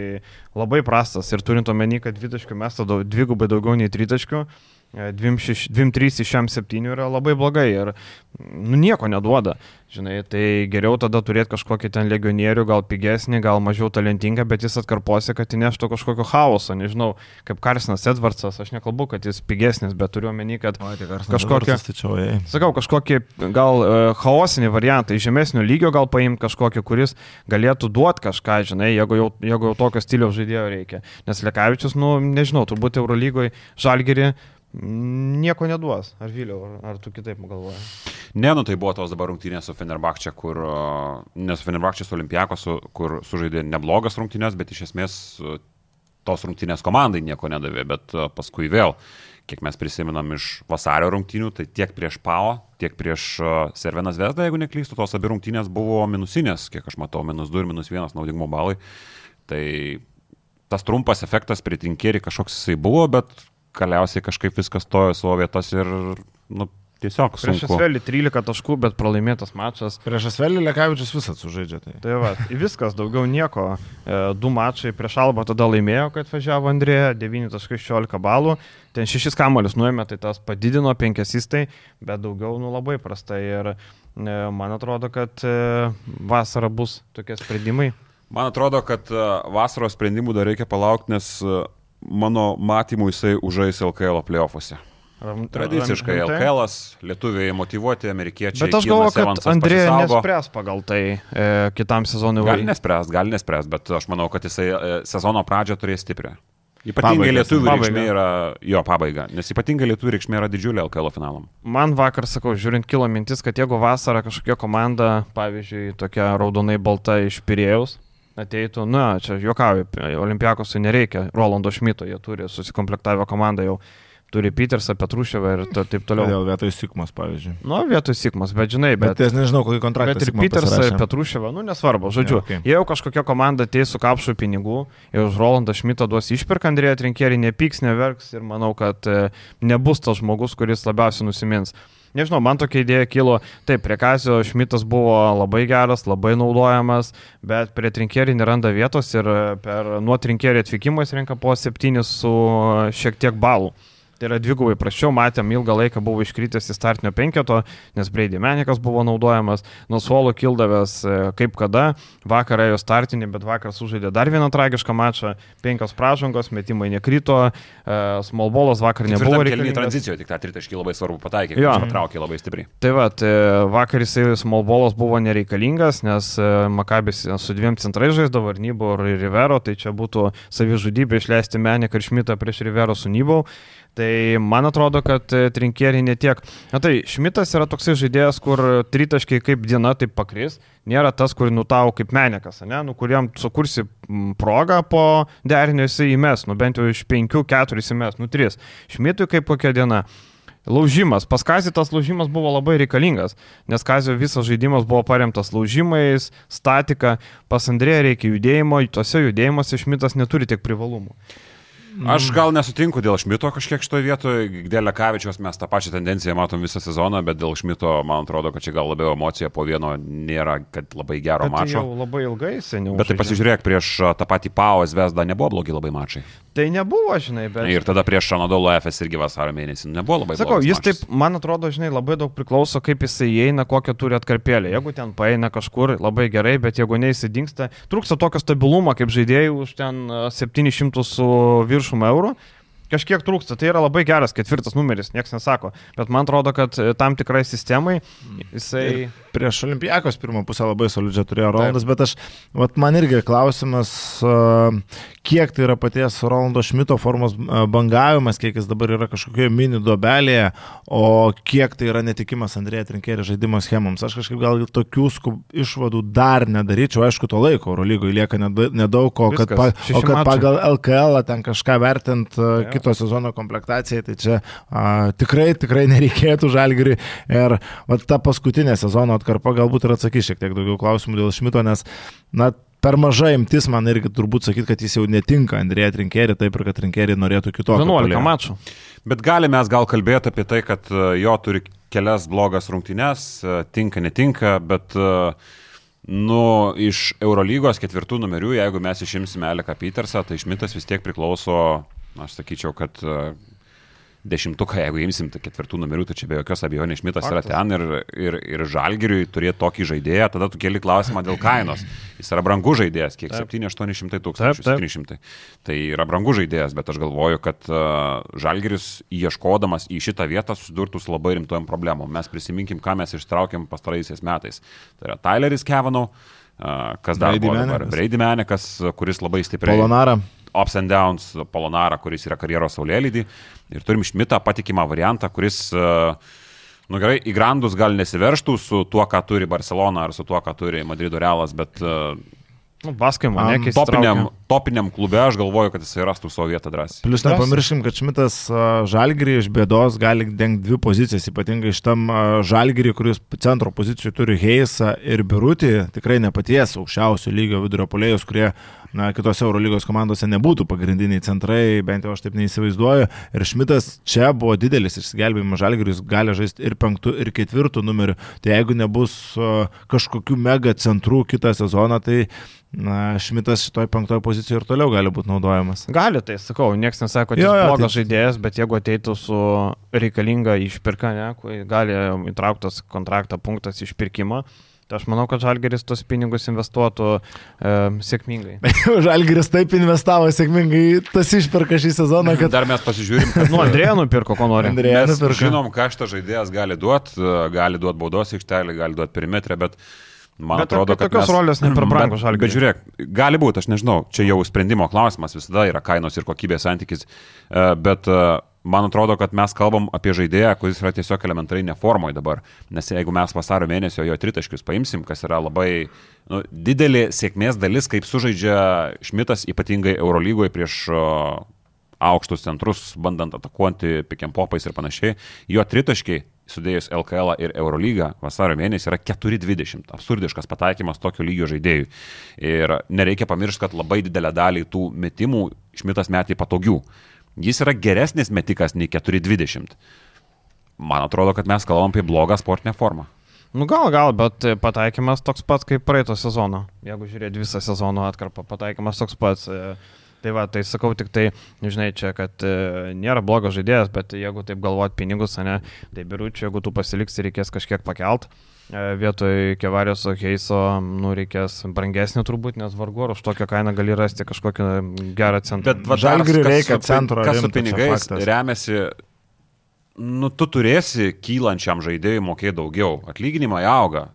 labai prastas. Ir turint omeny, kad dvitaškių mes tada dvigubai daugiau nei tritaškių, dviem trys iš šiam septynių yra labai blogai ir nu, nieko neduoda. Žinai, tai geriau tada turėti kažkokį ten legionierių, gal pigesnį, gal mažiau talentingą, bet jis atkarposi, kad įneštų kažkokio chaoso, nežinau, kaip Carsonas Edwardsas, aš nekalbu, kad jis pigesnis, bet turiu omeny, kad o, tai kažkokį, tačiau, sakau, kažkokį gal uh, chaosinį variantą, iš žemesnio lygio gal paimti kažkokį, kuris galėtų duoti kažką, žinai, jeigu jau, jeigu jau tokio stiliaus žaidėjo reikia. Nes Lekavičius, nu, nežinau, turbūt Eurolygoje Žalgirį nieko neduos. Ar Viliau, ar, ar tu kitaip galvoji? Ne, nu tai buvo tos dabar rungtynės su Fenerbahče, kur, ne su Fenerbahče, su Olimpiakosu, kur sužaidė neblogas rungtynės, bet iš esmės tos rungtynės komandai nieko nedavė, bet paskui vėl, kiek mes prisimenam iš vasario rungtynių, tai tiek prieš Pau, tiek prieš Cervena Zvezdą, jeigu neklystu, tos abi rungtynės buvo minusinės, kiek aš matau, minus du ir minus vienas naudingumo balai. Tai tas trumpas efektas prie Trinkieri kažkoks jisai buvo, bet galiausiai kažkaip viskas stojo savo vietas ir, nu, tiesiog sunku. Prieš Asvelį trylika taškų, bet pralaimėtas mačas. Prieš Asvelį Lekavičius visat sužaidžia. Tai, tai va, viskas, daugiau nieko. E, du mačai prieš Albą tada laimėjo, kad važiavo Andrėja, devyni taškai šešiolika balų. Ten šešis kamuolius nuėmė, tai tas padidino penkesistai, bet daugiau, nu, labai prastai. Ir e, man atrodo, kad e, vasara bus tokie sprendimai. Man atrodo, kad e, vasaros sprendimų dar reikia palaukti, nes e, mano matymų jisai užais L K L playoffuose. Tradiciškai L K L-as, lietuviai motyvuoti, amerikiečiai. Bet aš galvoju, kad Andrėja nespręs pagal tai e, kitam sezonui. Gali nespręs, gali nespręs, bet aš manau, kad jisai e, sezono pradžią turės stiprią. Ypatingai lietuvių reikšmė yra, jo, pabaiga, nes ypatingai lietuvių reikšmė yra didžiulė L K L finalam. Man vakar, sakau, žiūrint, kilo mintis, kad jeigu vasarą kažkokia komanda, pavyzdžiui, tokia raudonai balta iš Pirėjaus, ateitų, na, čia juokauju, Olimpiakosui nereikia Rolando Šmito, jie turi susikomplektavę komandą jau, turi Petersą, Petruševą ir to, taip toliau. Kodėl vietoj Sikmos, pavyzdžiui? Nu, vietoj Sikmos, bet žinai, bet... Bet aš nežinau, kokį kontraktą bet ir Petersą, ir Petruševą, nu, nesvarbu, žodžiu, ja, okay. Jei jau kažkokia komanda ateis su kapšu pinigų ir už Rolandą Šmitą duos išpirką, Andrėja Trinkieri nepyks, neverks ir manau, kad e, nebus tas žmogus, kuris labiausiai nusimins. Nežinau, man tokia idėja kilo, taip, prie Kazio Šmitas buvo labai geras, labai naudojamas, bet prie Trinkieri neranda vietos ir per nuo Trinkieri atvykimo jis renka po septynis su šiek tiek balų. Tai yra dvigubai prasčiau, matėm, ilgą laiką buvo iškritęs į startinio penketo, nes Brady Menikas buvo naudojamas, nuo suolo kildavęs kaip kada, vakar ėjo startinį, bet vakar sužaidė dar vieną tragišką mačą, penkios pražangos, metimai nekrito, smallballas vakar nebuvo reikalingas. Tranzicijoje tik tą tritaškį labai svarbu pataikė, ja. Patraukė labai stipriai. Tai va, tai vakar jisai smallballas buvo nereikalingas, nes Makabis su dviem centrais žaisdavo, ir Nybau, ir Rivero, tai čia būtų savižudybė išleisti Meniką ir Šmitą prieš Rivero su Nybau. Tai man atrodo, kad Trinkieri netiek. Na tai, Šmitas yra toksai žaidėjas, kur tritaškiai kaip diena taip pakris. Nėra tas, kur nutau kaip Menikas, ne? Nu, kuriam sukursi progą po derinio jisai įmes. Nu, bent jau iš penkių, keturis įmes, nu, tris. Šmitui kaip kokia diena. Laužimas. Pas Kazį tas laužimas buvo labai reikalingas, nes Kazio visas žaidimas buvo paremtas laužimais, statika. Pas Andrėją reikia judėjimo, tose judėjimuose Šmitas neturi tiek privalumų. Aš gal nesutinku dėl Šmito kažkiek šitoje vietoje, dėl Lekavičiaus mes tą pačią tendenciją matom visą sezoną, bet dėl Šmito, man atrodo, kad čia gal labiau emocija po vieno nėra, kad labai gero bet mačo. Tai jau labai ilgai seniau. Bet tai pasižiūrėk, prieš tą patį Pau Zvezdą nebuvo blogi labai mačai. Tai nebuvo, žinai, bet... Ir tada prieš Anadolu Efes irgi vasario mėnesį nebuvo labai blogas. Sakau, jis mačas. Taip, man atrodo, žinai, labai daug priklauso, kaip jisai įeina, kokią turi atkarpėlę. Jeigu ten paeina kažkur, labai gerai, bet jeigu neįsidingsta, trūksta tokio stabilumo, kaip žaidėjų už ten septynis šimtus su viršum eurų. Kažkiek trūksta, tai yra labai geras ketvirtas numeris, nieks nesako, bet man atrodo, kad tam tikrai sistemai jisai... Ir prieš Olimpiakos pirmą pusę labai solidžią turėjo Rolandas, bet aš, vat man irgi klausimas, kiek tai yra paties Rolando Šmito formos bangavimas, kiek jis dabar yra kažkokioje mini duobelėje, o kiek tai yra netikimas Andrėja Trinkieri žaidimo schemams. Aš kažkaip gal tokių skub, išvadų dar nedaryčiau, aišku, to laiko Eurolygoje lieka nedaug, o kad, pa, o kad pagal L K L ten kažką vertint ja. Kito sezono komplektacijai, tai čia a, tikrai, tikrai nereikėtų Žalgiriui. Ir va, ta paskutinė sezono atkarpa galbūt ir atsakys šiek tiek daugiau klausimų dėl Šmito, nes na, per maža imtis man irgi turbūt sakyti, kad jis jau netinka Andrėja Trinkieri, taip ir kad Trinkieri norėtų kitokio. vienuolika mačų. Bet galime mes gal kalbėti apie tai, kad jo turi kelias blogas rungtynes, tinka, netinka, bet nu, iš Eurolygos ketvirtų numerių, jeigu mes išimsime Aleką Petersą, tai Šmitas vis tiek priklauso, aš sakyčiau, kad dešimtuką, jeigu imsim tai ketvirtų numerių, tai čia be jokios abejonės Šmitas yra ten ir, ir, ir Žalgiriui turėti tokį žaidėją, tada tu keli klausimą dėl kainos. Jis yra brangus žaidėjas, kiek septyni aštuoni šimtai tūkstančių, septyni šimtai. Tai yra brangus žaidėjas, bet aš galvoju, kad uh, Žalgiris ieškodamas į šitą vietą susidurtų su labai rimtojom problemom. Mes prisiminkim, ką mes ištraukėm pastaraisiais metais. Tai yra Tyleris Kavanagh, uh, kas dar buvo dabar, Brady Manekas, kuris labai stipriai. Polonara. Ups and downs, Polonara, kuris yra karjeros saulėlydį. Ir turim Šmitą patikimą variantą, kuris, nu gerai, į grandus gal nesiverštų su tuo, ką turi Barcelona ar su tuo, ką turi Madrido Realas, bet nu, Baskai mane keistai. Topiniam, topiniam klube aš galvoju, kad jisai rastų savo vietą drąsiai. Plius nepamirškim, kad Šmitas Žalgirį iš bėdos gali dengti dvi pozicijas, ypatingai iš tam Žalgirį, kuris centro pozicijų turi Heisą ir Birutį, tikrai nepaties aukščiausio lygio vidurio puolėjus, kurie na, kitose Eurolygos komandose nebūtų pagrindiniai centrai, bent jau aš taip neįsivaizduoju. Ir Šmitas čia buvo didelis išsigelbėjimas Žalgiriui, jis gali žaisti ir penktų, ir ketvirtų numerių. Tai jeigu nebus kažkokių mega centrų kitą sezoną, tai na, Šmitas šitoj penktoje pozicijoje ir toliau gali būti naudojamas. Gali, tai sakau, niekas nesako, kad jis jo, blogas tai... žaidėjas, bet jeigu ateitų su reikalinga išpirka, ne, gali įtrauktas kontraktą punktas išpirkimo, tai aš manau, kad Žalgiris tos pinigus investuotų e, sėkmingai. Žalgiris taip investavo sėkmingai, tas išpirka šį sezoną, kad... Dar mes pasižiūrim, kad... Nu, Andrėją nupirko, ko nori. Andrėją nupirko. Žinom, ką šitas žaidėjas gali duoti, gali duoti baudos aikštelį, gali duoti perimetrę, bet... Man bet atrodo, kad tokios mes, rolės ne per brangu Žalgiriui. Bet žiūrėk, gali būti, aš nežinau, čia jau sprendimo klausimas, visada yra kainos ir kokybės santykis, bet man atrodo, kad mes kalbam apie žaidėją, kuris yra tiesiog elementariai neformoje dabar, nes jeigu mes vasario mėnesio jo tritaškius paimsim, kas yra labai nu, didelė sėkmės dalis, kaip sužaidžia Šmitas, ypatingai Eurolygoje prieš aukštus centrus, bandant atakuoti pick and popais ir panašiai, jo tritaškiai sudėjus L K L ir Eurolygą vasario mėnesį yra keturi dvidešimt. Absurdiškas pataikymas tokio lygio žaidėjų. Ir nereikia pamiršti, kad labai didelę dalį tų metimų Šmitas metė patogių. Jis yra geresnis metikas nei keturi dvidešimt. Man atrodo, kad mes kalbam apie blogą sportinę formą. Nu gal, gal, bet pataikymas toks pats kaip praeito sezono. Jeigu žiūrėt visą sezono atkarpą, pataikymas toks pats. Tai va, tai sakau tik tai, žinai, čia, kad e, nėra blogas žaidėjas, bet jeigu taip galvot pinigus, ne, tai Biručiu, jeigu tu pasiliksi, reikės kažkiek pakelt. E, vietoj Kevarijos Heiso, nu, reikės brangesnį turbūt, nes vargu ar už tokią kainą gali rasti kažkokią gerą centrą. Bet Žalgiriui reikia centro, kas su pinigais remiasi. Nu, tu turėsi kylančiam žaidėjui mokėti daugiau. Atlyginimai auga.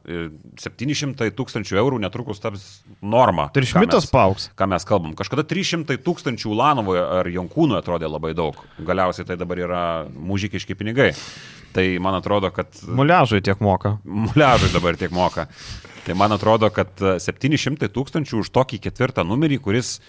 septyni šimtai tūkstančių eurų netrukus taps norma. Tai ir Šmitas paaugs. Ką mes kalbam. Kažkada trys šimtai tūkstančių Ulanovoje ar Jonkūnui atrodė labai daug. Galiausiai tai dabar yra mužikiški pinigai. Tai man atrodo, kad... Muliažui tiek moka. Muliažui dabar tiek moka. Tai man atrodo, kad septyni šimtai tūkstančių už tokį ketvirtą numerį, kuris...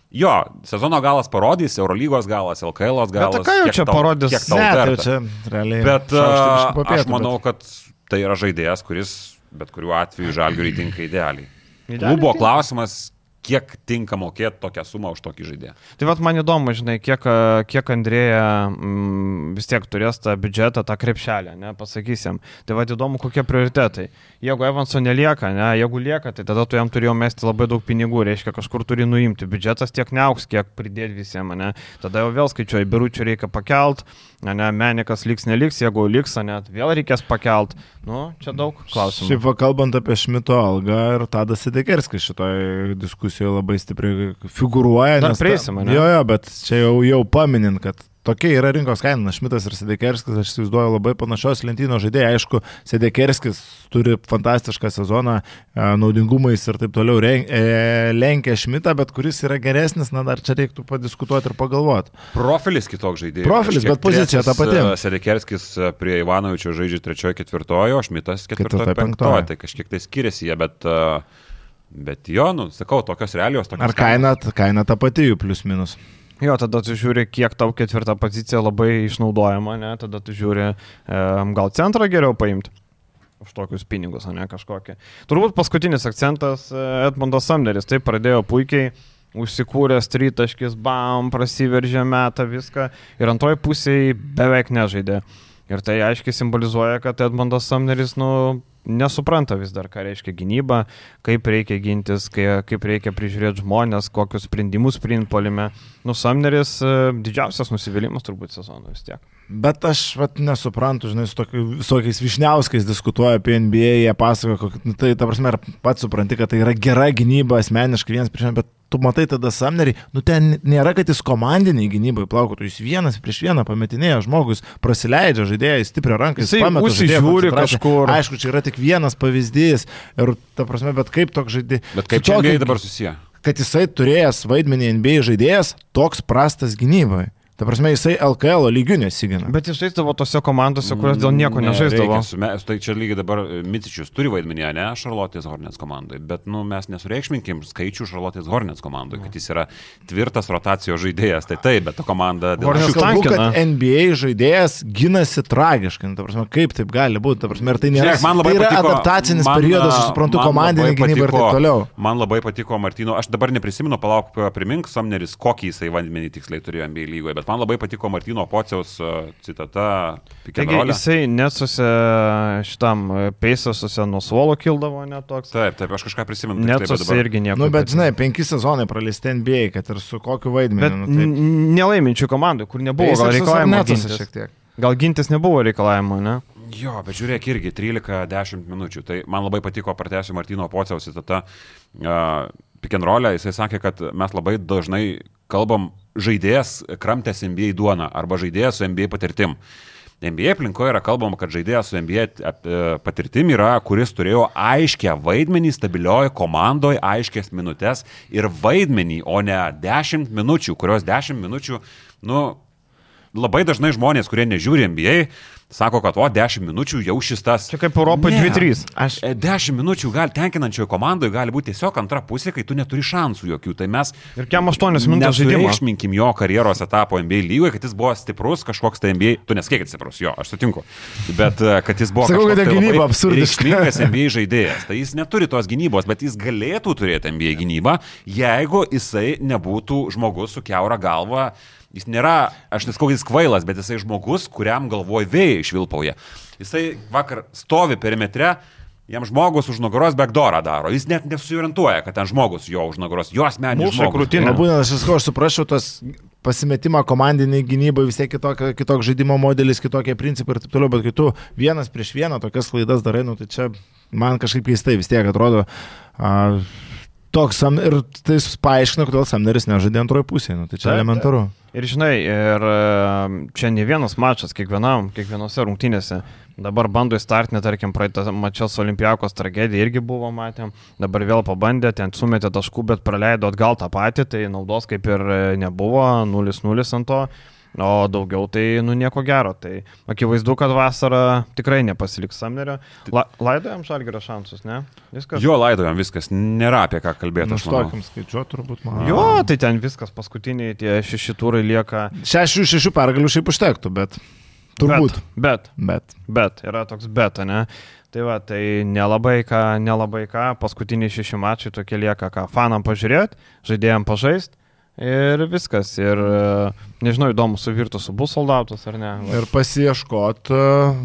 Jo, sezono galas parodys, Eurolygos galas, L K L galas. Bet ką jau čia tau, parodys? Kiek tau verta. Čia, realiai, bet uh, aš manau, kad tai yra žaidėjas, kuris bet kuriuo atveju Žalgiriui tinka idealiai. Klubo klausimas, kiek tinka mokėti tokią sumą už tokį žaidėją. Tai vat man įdomu, žinai, kiek, kiek Andrėja mm, vis tiek turės tą biudžetą, tą krepšelę, ne, pasakysim. Tai vat įdomu, kokie prioritetai. Jeigu Evanso nelieka, ne, jeigu lieka, tai tada tu jam turėjau mesti labai daug pinigų, reiškia kažkur turi nuimti. Biudžetas tiek neauks, kiek pridėti visiems, ne. Tada jau vėl skaičiuoju, Biručių reikia pakelt, ne, Menikas liks, neliks, jeigu liks, net vėl reikės pakelt. Nu, čia daug klausimų. Šiaip kalbant apie Šmito algą ir Tadas Sedekerskis šitoje diskusijoje labai stipriai figuruoja. Dar prieisim, ne? Jo, jo, bet čia jau, jau paminint, kad tokia yra rinkos kaina. Šmitas ir Sedekerskis, aš įsivaizduoju, labai panašios lentynos žaidėjai. Aišku, Sedekerskis turi fantastišką sezoną, naudingumais ir taip toliau lenkia Šmitą, bet kuris yra geresnis, na dar čia reiktų padiskutuoti ir pagalvoti. Profilis kitoks žaidėjas. Profilis, bet pozicija ta pati. Sedekerskis prie Ivanovičio žaidžia trečiojo ketvirtojo, o Šmitas ketvirtojo penktojo. Tai kažkiek tai skiriasi jie, bet, bet jo, nu, sakau, tokios realijos. Tokios ar kaina, kaina ta pati jų plius minus? Jo, tada tu žiūri, kiek tau ketvirta pozicija labai išnaudojama, ne, tada tu žiūri, e, gal centrą geriau paimti už tokius pinigus, o ne kažkokį. Turbūt paskutinis akcentas Edmundas Sumneris, taip pradėjo puikiai, užsikūręs tritaškis, bam, prasiveržė metą viską ir antroji pusėje beveik nežaidė. Ir tai aiškiai simbolizuoja, kad Edmundas Sumneris, nu, nesupranta vis dar, ką reiškia gynyba, kaip reikia gintis, kaip reikia prižiūrėti žmonės, kokius sprendimus priimti puolime. Nu, Sumneris didžiausias nusivylimas turbūt sezono vis tiek. Bet aš vat, nesuprantu, žinai, su tokiais Višniauskais diskutuoju apie N B A, jie pasakoja, nu, tai ta prasme, pats supranti, kad tai yra gera gynyba asmeniškai vienas prieš vieną, bet tu matai tada Sumnerį, nu ten nėra, kad jis komandiniai gynybai plaukotų, jis vienas prieš vieną pametinėja, žmogus prasileidžia žaidėją į stiprią ranką, jis pameta žaidėją kažkur. Aišku, čia yra tik vienas pavyzdys ir ta prasme, bet kaip toks žaidėjas. Bet kaip čia N B A dabar susiję? Kad jisai turėjęs vaidmenį N B A žaidėjas, toks prastas gynybai. Ta prasme, jisai L K L lygių nesigina. Bet jis žaisdavo tose komandose, kurios dėl nieko ne, nežaisdavo. Reikia, tai čia lygiai dabar Micičius turi vaidmenį, ne, Charlotte's Hornets komandai, bet nu, mes nesureikšminkim skaičių Charlotte's Hornets komandai, kad jis yra tvirtas rotacijos žaidėjas. Tai taip, bet ta komanda... Aš kalbu, kad N B A žaidėjas ginasi tragiškai. Ta prasme, kaip taip gali būti? Ta prasme, tai nėra, Žiūrėk, tai yra patiko, adaptacinis man, periodas, aš suprantu, komandinė gynyba ir taip toliau. Man labai patiko Martino, aš dabar neprisimenu, palauk, primink Sumneris, kokį jisai vaidmenį tiksliai turėjo N B A lygoje, bet man labai patiko Martino Pociaus citata. Taigi jisai nesusi šitam peisasusi nuo suolo kildavo netoks. Taip, taip, aš kažką prisimenu. Nesusi irgi nieko. Nu, bet žinai, penki sezonai praleisti N B A, kad ir su kokiu vaidmeniu. Bet nu, nelaiminčių komandų, kur nebuvo gal reikalavimo gintis. Šiek tiek. Gal gintis nebuvo reikalavimo, ne? Jo, bet žiūrėk irgi, trylika dešimt minučių. Tai man labai patiko, pratęsiu Martino Pociaus citata. Uh, Pick and roll'e, jisai sakė, kad mes labai dažnai kalbam žaidėjas kramtęs N B A duoną arba žaidėjas su N B A patirtim. N B A aplinkoje yra kalbama, kad žaidėjas su N B A patirtim yra, kuris turėjo aiškę vaidmenį stabilioje komandoje, aiškės minutės ir vaidmenį, o ne dešimt minučių, kurios dešimt minučių, nu, labai dažnai žmonės, kurie nežiūri N B A, sako, kad o, dešimt minučių jau šis tas. Čia kaip Europoje dvi trys. Aš... dešimt minučių gali, tenkinančioje komandoje gali būti tiesiog antra pusė, kai tu neturi šansų jokių. Tai mes... Ir kiam aštuonias minutės žaidimo. Nesureikšminkim jo karjeros etapo N B A lygoje, kad jis buvo stiprus, kažkoks tai N B A... Tu neskėkit stiprus, jo, aš sutinku. Bet kad jis buvo Sakau, kažkoks tai labai reikšmingas N B A žaidėjas. Tai jis neturi tos gynybos, bet jis galėtų turėti N B A gynybą, jeigu jisai nebūtų žmogus su kiaura galva. Jis nėra, aš neskau, jis kvailas, bet jisai žmogus, kuriam galvoj vėjai švilpauja. Jisai vakar stovi perimetre, jam žmogus už nugaros backdoorą daro. Jis net nesusiorientuoja, kad ten žmogus jo už nugaros, jo asmeninis žmogus. Būtent aš visko, aš suprašau tos pasimetimą komandiniai gynybai, vis tiek kitokia, kitoks žaidimo modelis, kitokie principai ir taip toliau, bet kai tu vienas prieš vieną tokias klaidas darai, nu, tai čia man kažkaip keistai vis tiek atrodo. Uh, Toks ir tai paaiškina, kodėl Sumneris nežaidė antroje pusėje, nu, tai čia taip, elementaru. Taip. Ir žinai, ir čia ne vienas mačas, kiekvienam, kiekvienose rungtynėse. Dabar bando įstartinę, tarkim, praeitą mačą su Olimpiakos tragedija irgi buvo, matėm. Dabar vėl pabandė, ten sumetė taškų, bet praleido atgal tą patį, tai naudos kaip ir nebuvo, nulis nulis ant to. O daugiau tai, nu, nieko gero. Tai akivaizdu, kad vasarą tikrai nepasiliks Sumnerio. La, laidojam Žalgirio šansus, ne? Viskas? Jo, laidojam viskas. Nėra apie ką kalbėti. Nu, štokim skaičiuot turbūt, man. Jo, tai ten viskas paskutiniai, tie šeši turai lieka. Šešių šešių pergalių šiaip užtektų, bet turbūt. Bet, bet, bet. Bet, yra toks bet, ne? Tai va, tai nelabai ką, nelabai ką. Paskutiniai šeši mačai tokie lieka, ką fanam pažiūrėti, žaidėjam pažaisti. Ir viskas. Ir nežinau, įdomu, suvirtų su bus soldautas ar ne. Ir pasieškot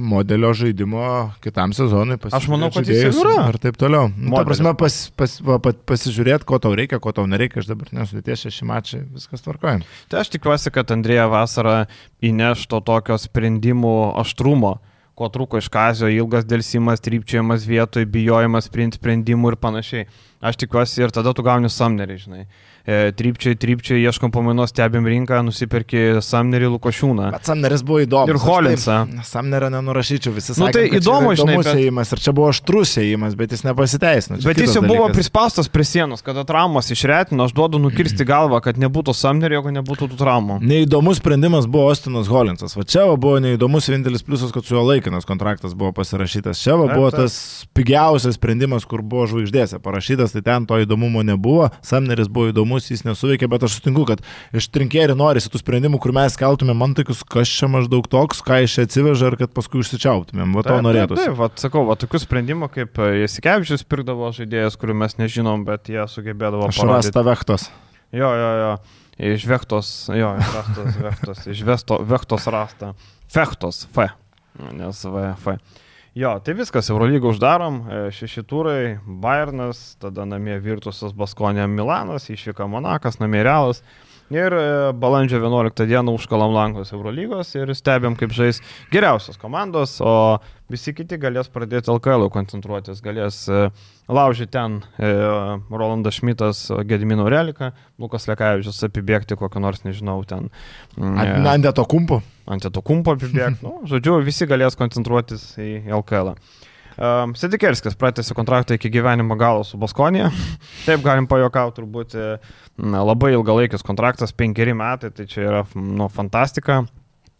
modelio žaidimo kitam sezonui. Aš manau, kad jis yra. Ir taip toliau. Nu, ta prasme, pas, pas, pas, pasižiūrėti, ko tau reikia, ko tau nereikia. Aš dabar nesudėties šeši mačiai, viskas tvarkoja. Tai aš tikiuosi, kad Andrėja vasarą įneš to tokio sprendimų aštrumo, ko trūko iš Kazio, ilgas dėlsimas, trypčiojimas vietoj, bijojimas priimti sprendimų ir panašiai. Aš tikiuosi ir tada tu gauni Sumnerį, žinai. E, trypčiai, trypčiai, ieškom pamainos, stebim rinką, nusiperki Sumnerį, Lukošiūną. Bet Sumneris buvo įdomus. Ir Holinsą. Sumnerio nenurašyčiau, visi nu, sakė, tai kad įdomu, čia žinai, įdomus bet... ėjimas. Ir čia buvo aštrus ėjimas, bet jis nepasiteisino. Bet jis jau buvo prispaustas prie sienos, kada traumas išretino, aš duodu nukirsti galvą, kad nebūtų Sumnerio, jeigu nebūtų tų traumų. Neįdomus sprendimas buvo Austinas Holinsas. Va čia va buvo neįdomus vienintelis pliusas, kad su jo laikinas kontraktas buvo pasirašytas. Čia va buvo tas pigiausias sprendimas, kur buvo žvaigždėse parašytas, tai ten to įdomumo nebuvo. Sumneris buvo įdomus, jis nesuveikė. Bet aš sutinku, kad iš trinkėrių norisi tų sprendimų, kur mes keltumėm man tokius, kas čia maždaug toks, ką iš čia atsiveža ir kad paskui užsičiauptumėm. Va to norėtųsi. Taip, taip, taip, sakau, va tokių sprendimų, kaip Jasikevičius pirkdavo žaidėjas, kurių mes nežinom, bet jie sugebėdavo parodyti. Aš rasta Vechtos. Jo, jo, jo. Iš Vechtos, jo, iš Rastos, Vechtos, iš Vesto, Vechtos rasta. Fechtos, F. Nes V, F. Jo, tai viskas, Eurolygą uždarom, šeši turai, Bayernas, tada namie Virtusas, Baskonė, Milanas, išvyka Monakas, namie Realas, Ir balandžio vienuoliktą dieną užkalam langus Eurolygos ir stebėm, kaip žais geriausios komandos, o visi kiti galės pradėti L K L koncentruotis, galės laužyti ten Rolandas Šmitas, Gedimino Reliką, Lukas Lekavičius apibėgti kokį nors, nežinau, ten. Ant to kumpo. Ant to kumpo apibėgti. Nu, žodžiu, visi galės koncentruotis į L K L. Um, Sedikerskis pratęsė kontraktą iki gyvenimo galo su Baskonija. Taip galim pajokauti, turbūt na, labai ilgalaikis kontraktas, penkeri metai, tai čia yra nu, fantastika.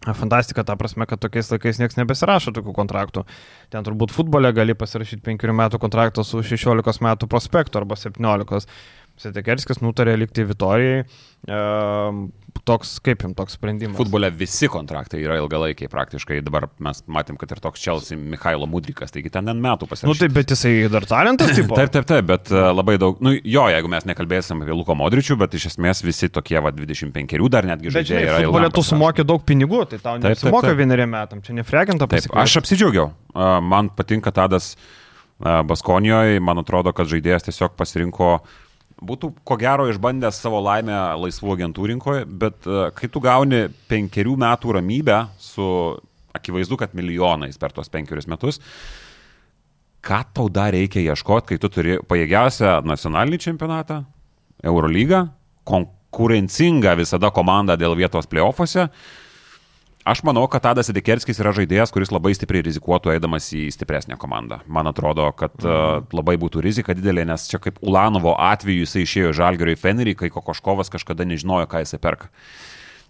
Fantastika ta prasme, kad tokiais laikais niekas nebesirašo tokių kontraktų. Ten turbūt futbole gali pasirašyti penkerių metų kontraktą su šešiolikos metų prospektu arba septyniolikos. Sedikerskis nutarė likti Vitorijai. Um, toks, kaip jums toks sprendimas? Futbole visi kontraktai yra ilgalaikiai praktiškai. Dabar mes matėm, kad ir toks Chelsea Michailo Mudrikas, taigi ten N metų pasirašė. Nu taip, bet jisai dar talentas tipo. Taip, taip, taip, bet labai daug, nu jo, jeigu mes nekalbėsim apie Luko Modričių, bet iš esmės visi tokie va dvidešimt penkerių dar netgi žaidėjai yra ilgai. Bet futbole tu sumokė daug pinigų, tai tau nesumoka vieneriem metam, čia nefrekinta pasikviesti. Aš apsidžiaugiau, man patinka Tadas Baskonijoje, man atrodo, kad žaidėjas tiesiog pasirinko. Būtų ko gero išbandęs savo laimę laisvų agentų rinkoje, bet uh, kai tu gauni penkerių metų ramybę su akivaizdu, kad milijonais per tos penkerius metus, ką tau dar reikia ieškoti, kai tu turi pajėgiausią nacionalinį čempionatą, Eurolygą, konkurencingą visada komandą dėl vietos play-offuose. Aš manau, kad Tadas Sedikerskis yra žaidėjas, kuris labai stipriai rizikuotų eidamas į stipresnę komandą. Man atrodo, kad uh, labai būtų rizika didelė, nes čia kaip Ulanovo atveju jisai išėjo iš Žalgirio į Fenerį, kai Kokoškovas kažkada nežinojo, ką jisai perka.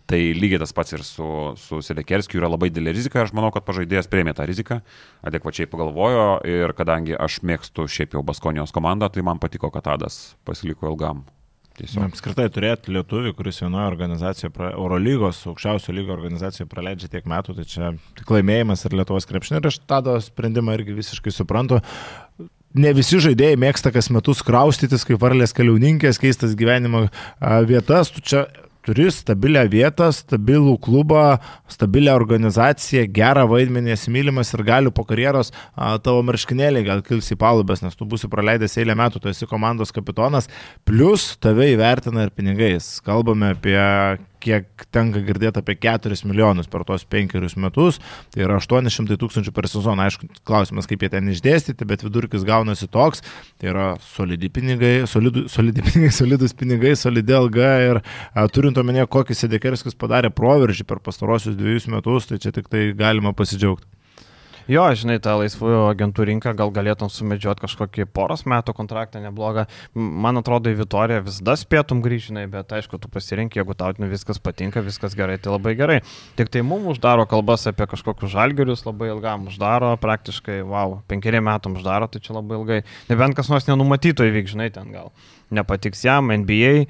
Tai lygiai tas pats ir su, su Sedikerskiu yra labai didelė rizika. Aš manau, kad pažaidėjas priėmė tą riziką, adekvačiai pagalvojo ir kadangi aš mėgstu šiaip jau Baskonijos komandą, tai man patiko, kad Tadas pasiliko ilgam. Apskritai turėti lietuvį, kuris vienoje organizacijoje, Eurolygos, aukščiausio lygio organizacijoje praleidžia tiek metų, tai čia tik laimėjimas ir Lietuvos krepšinio ir aš Tado sprendimą irgi visiškai suprantu. Ne visi žaidėjai mėgsta kas metus kraustytis, kaip varlės keliauninkės, keistas gyvenimo vietas, tu čia turi stabilią vietą, stabilų klubą, stabilią organizaciją, gerą vaidmenį, mylimas ir galiu po karjeros a, tavo marškinėliai gal kils į palubės, nes tu būsi praleidęs eilę metų, tu esi komandos kapitonas, plus tave įvertina ir pinigais. Kalbame apie, kiek tenka girdėti, apie keturis milijonus per tos penkerius metus, tai yra aštuoni šimtai tūkstančių per sezoną. Aišku, klausimas, kaip jie ten išdėstyti, bet vidurkis gaunasi toks, tai yra solidi pinigai, solidu, solidi pinigai, solidus pinigai, solidi alga ir a, turint omenyje, kokį Sedikerskis padarė proveržį per pastarosius dviejus metus, tai čia tik tai galima pasidžiaugti. Jo, žinai, tą laisvųjų agentų rinką gal galėtum sumedžioti kažkokį poros metų kontraktą neblogą. Man atrodo, į Vitoriją visada spėtum grįžinai, bet aišku, tu pasirink, jeigu tau viskas patinka, viskas gerai, tai labai gerai. Tik tai mums uždaro kalbas apie kažkokius Žalgirius, labai ilgam uždaro, praktiškai, wow, penkeriem metam uždaro, tai čia labai ilgai. Nebent kas nors nenumatyto įvyks, žinai, ten gal. Nepatiks jam, N B A e,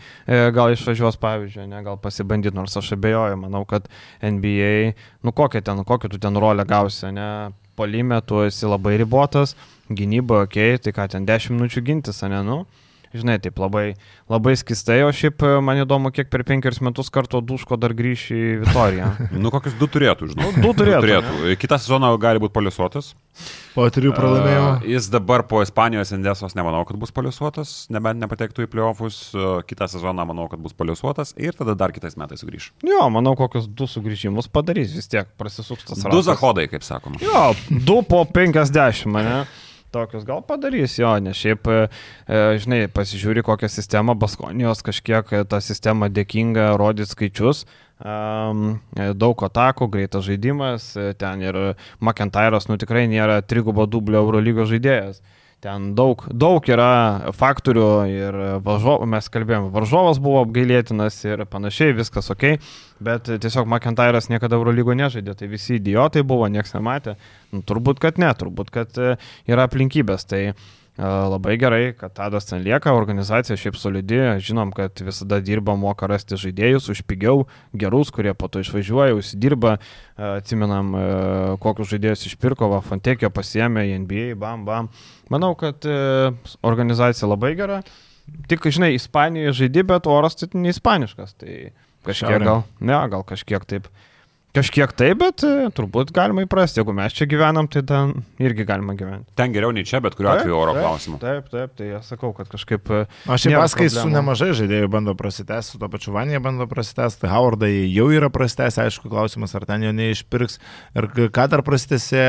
gal išvažiuos, pavyzdžiui, ne, gal pasibandyti, nors aš abejoju, manau, kad N B A, nu kokią ten, kokią tu ten rolę gausi, ne, puolime tu esi labai ribotas, gynyba, okei, okay, tai ką ten dešimt minučių gintis, ne, nu, žinai, taip labai, labai skistai, o šiaip man įdomu, kiek per penkerius metus karto Duško dar grįš į Vitoriją. Nu, kokius du turėtų, žinau. Nu, du turėtų. Du turėtų. Kitą sezoną gali būti paliusuotas. Po trijų pralaimėjimų. Uh, jis dabar po Ispanijos Endesos nemanau, kad bus paliusuotas, nebent nepatektų į playoffus. Uh, kitą sezoną manau, kad bus paliusuotas ir tada dar kitais metais sugrįš. Jo, manau, kokius du sugrįžimus padarys, vis tiek prasisuks tas ratas. Du zahodai, kaip sakoma. Jo, du po penkiasdešimt, ne? Tokius gal padarys, jo, nes šiaip, e, žinai, pasižiūri kokią sistemą, Baskonijos kažkiek tą sistemą dėkinga rodyti skaičius, um, daug atakų, greitas žaidimas, ten ir McIntyras, nu tikrai nėra trigubo dublio Eurolygos žaidėjas. Ten daug, daug yra faktorių ir varžovas, mes kalbėjome, varžovas buvo apgailėtinas ir panašiai, viskas ok, bet tiesiog McIntyras niekada Eurolygo nežaidė, tai visi idiotai buvo, nieks nematė, nu, turbūt, kad ne, turbūt, kad yra aplinkybės, tai labai gerai, kad Tadas ten lieka, organizacija šiaip solidi, žinom, kad visada dirba, moka rasti žaidėjus už pigiau, gerus, kurie po to išvažiuoja, užsidirba, atsimenam, kokius žaidėjus išpirko, va, Fontekio pasiėmė į N B A, bam, bam. Manau, kad organizacija labai gera, tik, žinai, Ispanijoje žaidži, bet oras tai ne ispaniškas, tai kažkiek gal, ne, gal kažkiek taip. Kažkiek taip, bet turbūt galima įprasti. Jeigu mes čia gyvenam, tai ten irgi galima gyventi. Ten geriau nei čia, bet kuriuo atveju oro klausimu. Taip, taip, tai aš sakau, kad kažkaip... Aš šiaip paskai su nemažai žaidėjų bando prasitęsti, su to pačiu Vanija bando prasitęsti, Howardai jau yra prasitęsti, aišku, klausimas, ar ten jo neišpirks. Ir ką dar prasitęsė,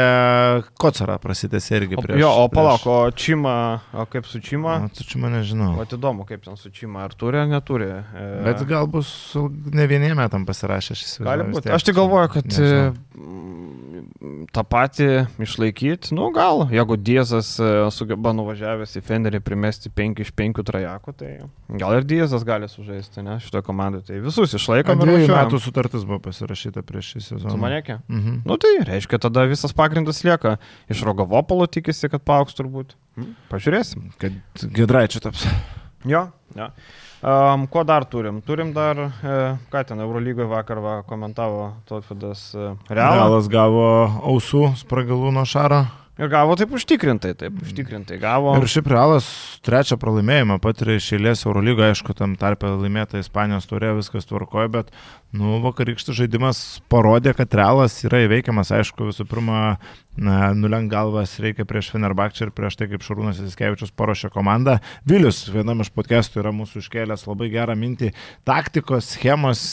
Kocarą prasitęsė irgi prieš... Jo, o palauk, prieš... o Čima, o kaip su Čima? O su Čima nežinau. O įdomu, kaip ten su Čima, ar turi, ar neturi. Bet gal bus ne vieniem metam pasirašę šis visą. Gali būti. Aš tik galvoju, kad nežinau. tą patį išlaikyti, nu gal, jeigu Diezas sugeba nuvažiavęs į Fenderį primesti penki iš penkių trajakų, tai gal ir Diezas gali sužaisti, ne, šitoje komandoje. Tai visus išlaikom ir važiuojam. Dviejų metų sutartis buvo pasirašyta prieš šį sezoną. Su Manekė? Mhm. Nu tai reiškia, tada visas pagrindas lieka. Iš Rogovopolo tikisi, kad paaugs turbūt. Hmm? Pažiūrėsim. Kad Giedraičiu taps. Jo, jo. Um, ko dar turim? Turim dar, e, ką ten, Eurolygoje vakar va, komentavo Tautvydas e, Realą. Realas gavo ausų spragalų nuo Šaro. Ir gavo taip užtikrintai, taip užtikrintai gavo. Ir šiaip Realas trečią pralaimėjimą patiria iš eilės Eurolygoje, aišku, tam tarpe laimėta Ispanijos taurė, viskas tvarkoja, bet nu, vakarykštis žaidimas parodė, kad Realas yra įveikiamas, aišku, visų pirma, nulenk galvas reikia prieš Fenerbahčę ir prieš tai, kaip Šarūnas Jasikevičius paruošė komandą. Vilius vienam iš podcastų yra mūsų iškėlęs labai gerą mintį. Taktikos, schemos,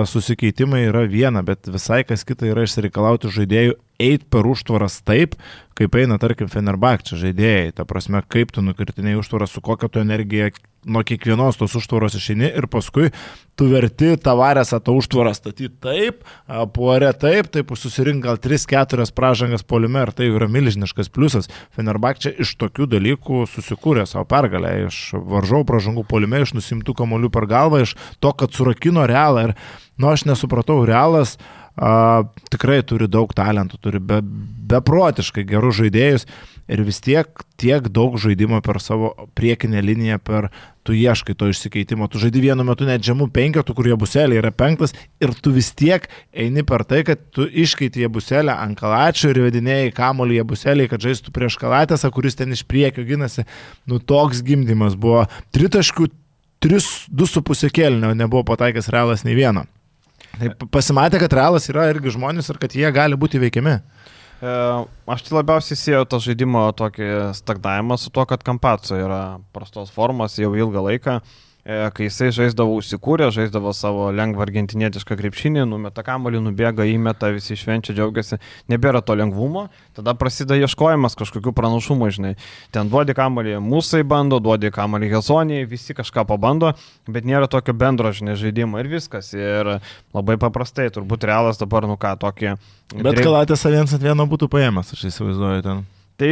susikeitimai yra viena, bet visai kas kita yra išsireikalauti žaidėjų eit per užtvaras taip, kaip eina, tarkim, Fenerbahčė žaidėjai. Ta prasme, kaip tu nukirtinėjai užtvaras, su kokia tu energija nuo kiekvienos tos užtvaros išeini ir paskui tu verti Tavaresą tą užtvarą statyti taip, Puare taip, taip susirink gal tris keturias pražangas puolime ir tai yra milžiniškas pliusas. Fenerbahčė iš tokių dalykų susikūrė savo pergalę, iš varžovų pražangų puolime, iš nusimtų kamuolių per galvą, iš to, kad surakino Realą ir, nu, aš nesupratau, Realas a, tikrai turi daug talentų, turi be, beprotiškai gerus žaidėjus ir vis tiek tiek daug žaidimo per savo priekinę liniją, per tu ieškai to išsikeitimo, tu žaidi vienu metu net žemų penketų, kur Jebuselė yra penktas ir tu vis tiek eini per tai, kad tu iškeiti Jebuselę ant Kalačio ir vedinėjai kamuolį Jebuselį, kad žaistų prieš Kalatėsą, kuris ten iš priekio ginasi. Nu toks gimdymas buvo. Tritaškių, tris, du su pusė kėlinio nebuvo pataikęs Realas nei vieno. Tai pasimatė, kad Realas yra irgi žmonės ir kad jie gali būti veikiami. Aš tai labiausiai sieju tą žaidimo tokį stagnavimą su to, kad Kampaco yra prastos formos jau ilgą laiką. Kai jisai žaisdavo užsikūrę, žaisdavo savo lengvą argentinietišką krepšinį, numeta kamuolį, nubėga, įmeta, visi švenčia, džiaugiasi, nebėra to lengvumo, tada prasideda ieškojimas kažkokių pranašumų, žinai. Ten duodi kamuolį Musai bando, duodi kamuolį Hezonijai, visi kažką pabando, bet nėra tokio bendro, žinai, žaidimo ir viskas. Ir labai paprastai, turbūt Realas dabar, nu ką, tokį... Bet dreip... Kalatės viens ant vieno būtų paėmęs, aš įsivaizduoju ten. Tai,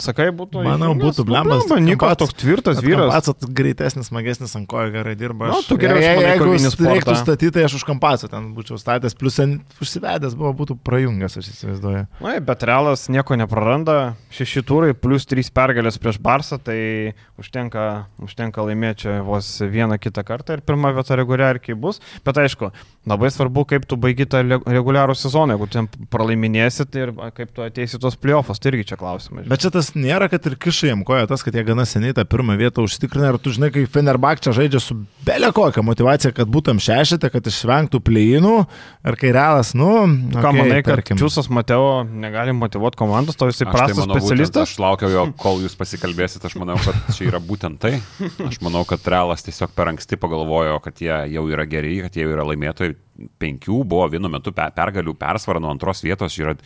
sakai, būtų... Manau, būtų blembas. Nikas toks tvirtas vyras. Kampacas greitesnis, smagesnis, ant kojo gerai dirba. Na, tu geriau išmanai kovinį sportą. Jeigu reiktų statyti, tai aš už Kampacą ten būčiau statęs, plus užsivedęs buvo, būtų prajungęs, aš įsivaizduoju. Na, bet Realas nieko nepraranda. Šeši turai plus trys pergalės prieš Barsą, tai užtenka, užtenka laimėti čia vos vieną kitą kartą ir pirmą vietą reguliariai bus. Bet aišku, labai svarbu, kaip tu baigi tą reguliarų sezoną. Jeigu ten pralaiminėsit ir kaip tu ateisi tos playoffs, tai irgi čia klausimas. Bet čia tas nėra, kad ir kišai jam koja tas, kad jie gana seniai tą pirmą vietą užtikrina ir tu žinai, kai Fenerbahčė žaidžia su belia kokia motivacija, kad būtum šešite, kad išvengtų plėjinų ir kai Realas, nu... Ką okay, manai, kad tarkim. Čiūsas Mateo negali motivuoti komandos, to jisai prastas tai specialistas? Būtent, aš laukiau jo, kol jūs pasikalbėsit, aš manau, kad čia yra būtent tai. Aš manau, kad Realas tiesiog per anksti pagalvojo, kad jie jau yra geri, kad jie yra laimėtojai. Penkių buvo vienu metu pergalių persvarą nuo antros vietos yra...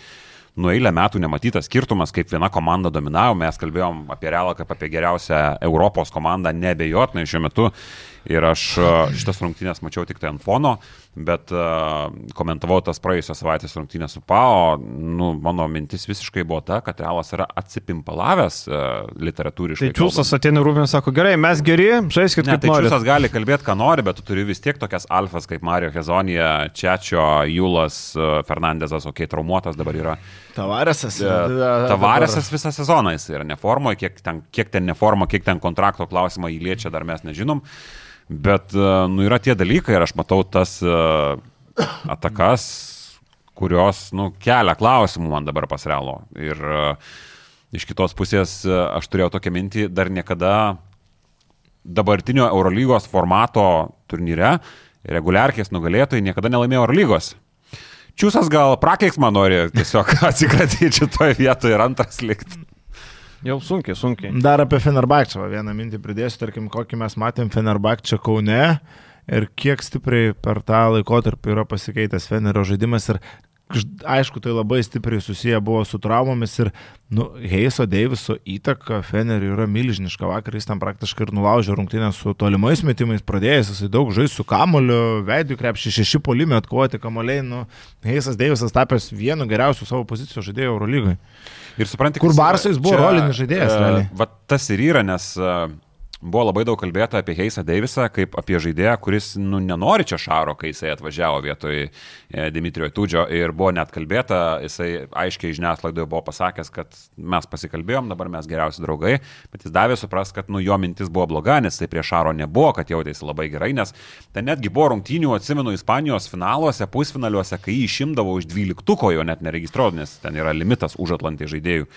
Nu, eilę metų nematytas skirtumas, kaip viena komanda dominavo, mes kalbėjom apie Realą kaip apie geriausią Europos komandą, neabejotinai šiuo metu. Ir aš šitas rungtynės mačiau tik tai ant fono, bet uh, komentavau tas praėjusios savaitės rungtynės su Pao. Nu, mano mintis visiškai buvo ta, kad Realas yra atsipimpalavęs uh, literatūriškai. Tai Čiūsas ateina Rūbins, sako, gerai, mes geri, žaiskit kaip tai nori. Čiūsas gali kalbėti, ką nori, bet tu turi vis tiek tokias alfas kaip Mario Hezonija, Čečio, Julas, uh, Fernandezas, okei, okay, traumuotas dabar yra. Tavaresas. Uh, Tavaresas visą sezoną jis yra neformoje, kiek ten, kiek ten neformo, kiek ten kontrakto klausimą jį liečia, dar mes nežinom. Bet, nu, yra tie dalykai ir aš matau tas uh, atakas, kurios, nu, kelia klausimų man dabar pas Realo. Ir uh, iš kitos pusės uh, aš turėjau tokią mintį, dar niekada dabartinio Eurolygos formato turnyre reguliarkės nugalėtojai niekada nelaimėjo Eurolygos. Čiūsas gal prakeiksmą nori tiesiog atsikratyti šitoje vietoje ir antras likti. Jau sunkiai, sunkiai. Dar apie Fenerbahčę vieną mintį pridėsiu, tarkim, kokį mes matėm Fenerbahčę Kaune ir kiek stipriai per tą laikotarpį yra pasikeitęs Fenerio žaidimas ir aišku, tai labai stipriai susiję buvo su traumomis ir nu, Heiso Deiviso įtaka Feneriui yra milžiniška. Vakar jis tam praktiškai ir nulaužė rungtynę su tolimais metimais pradėjęs, jisai daug žais su kamoliu, veidų krepšį šeši puolime atkovoti kamoliai. Nu, Heisas Deivisas tapęs vienu geriausių savo pozicijos žaidėjų Eurolygoje. Ir supranti, kur Barsais buvo rolinis žaidėjas. Uh, va tas ir yra, nes uh, buvo labai daug kalbėta apie Heisą Deivisą kaip apie žaidėją, kuris nu, nenori čia šaro, kai jisai atvažiavo vietoj e, Dimitrijo Tudžio ir buvo net kalbėta, jisai aiškiai žiniasklaidoje buvo pasakęs, kad mes pasikalbėjom, dabar mes geriausi draugai, bet jis davė supras, kad nu, jo mintis buvo bloga, nes tai prie šaro nebuvo, kad jautėsi labai gerai, nes ten netgi buvo rungtynių, atsimenu, Ispanijos finaluose, pusfinaliuose, kai jį išimdavo iš dvyliktuko, jo net neregistruodavo, nes ten yra limitas už Atlantį žaidėjų.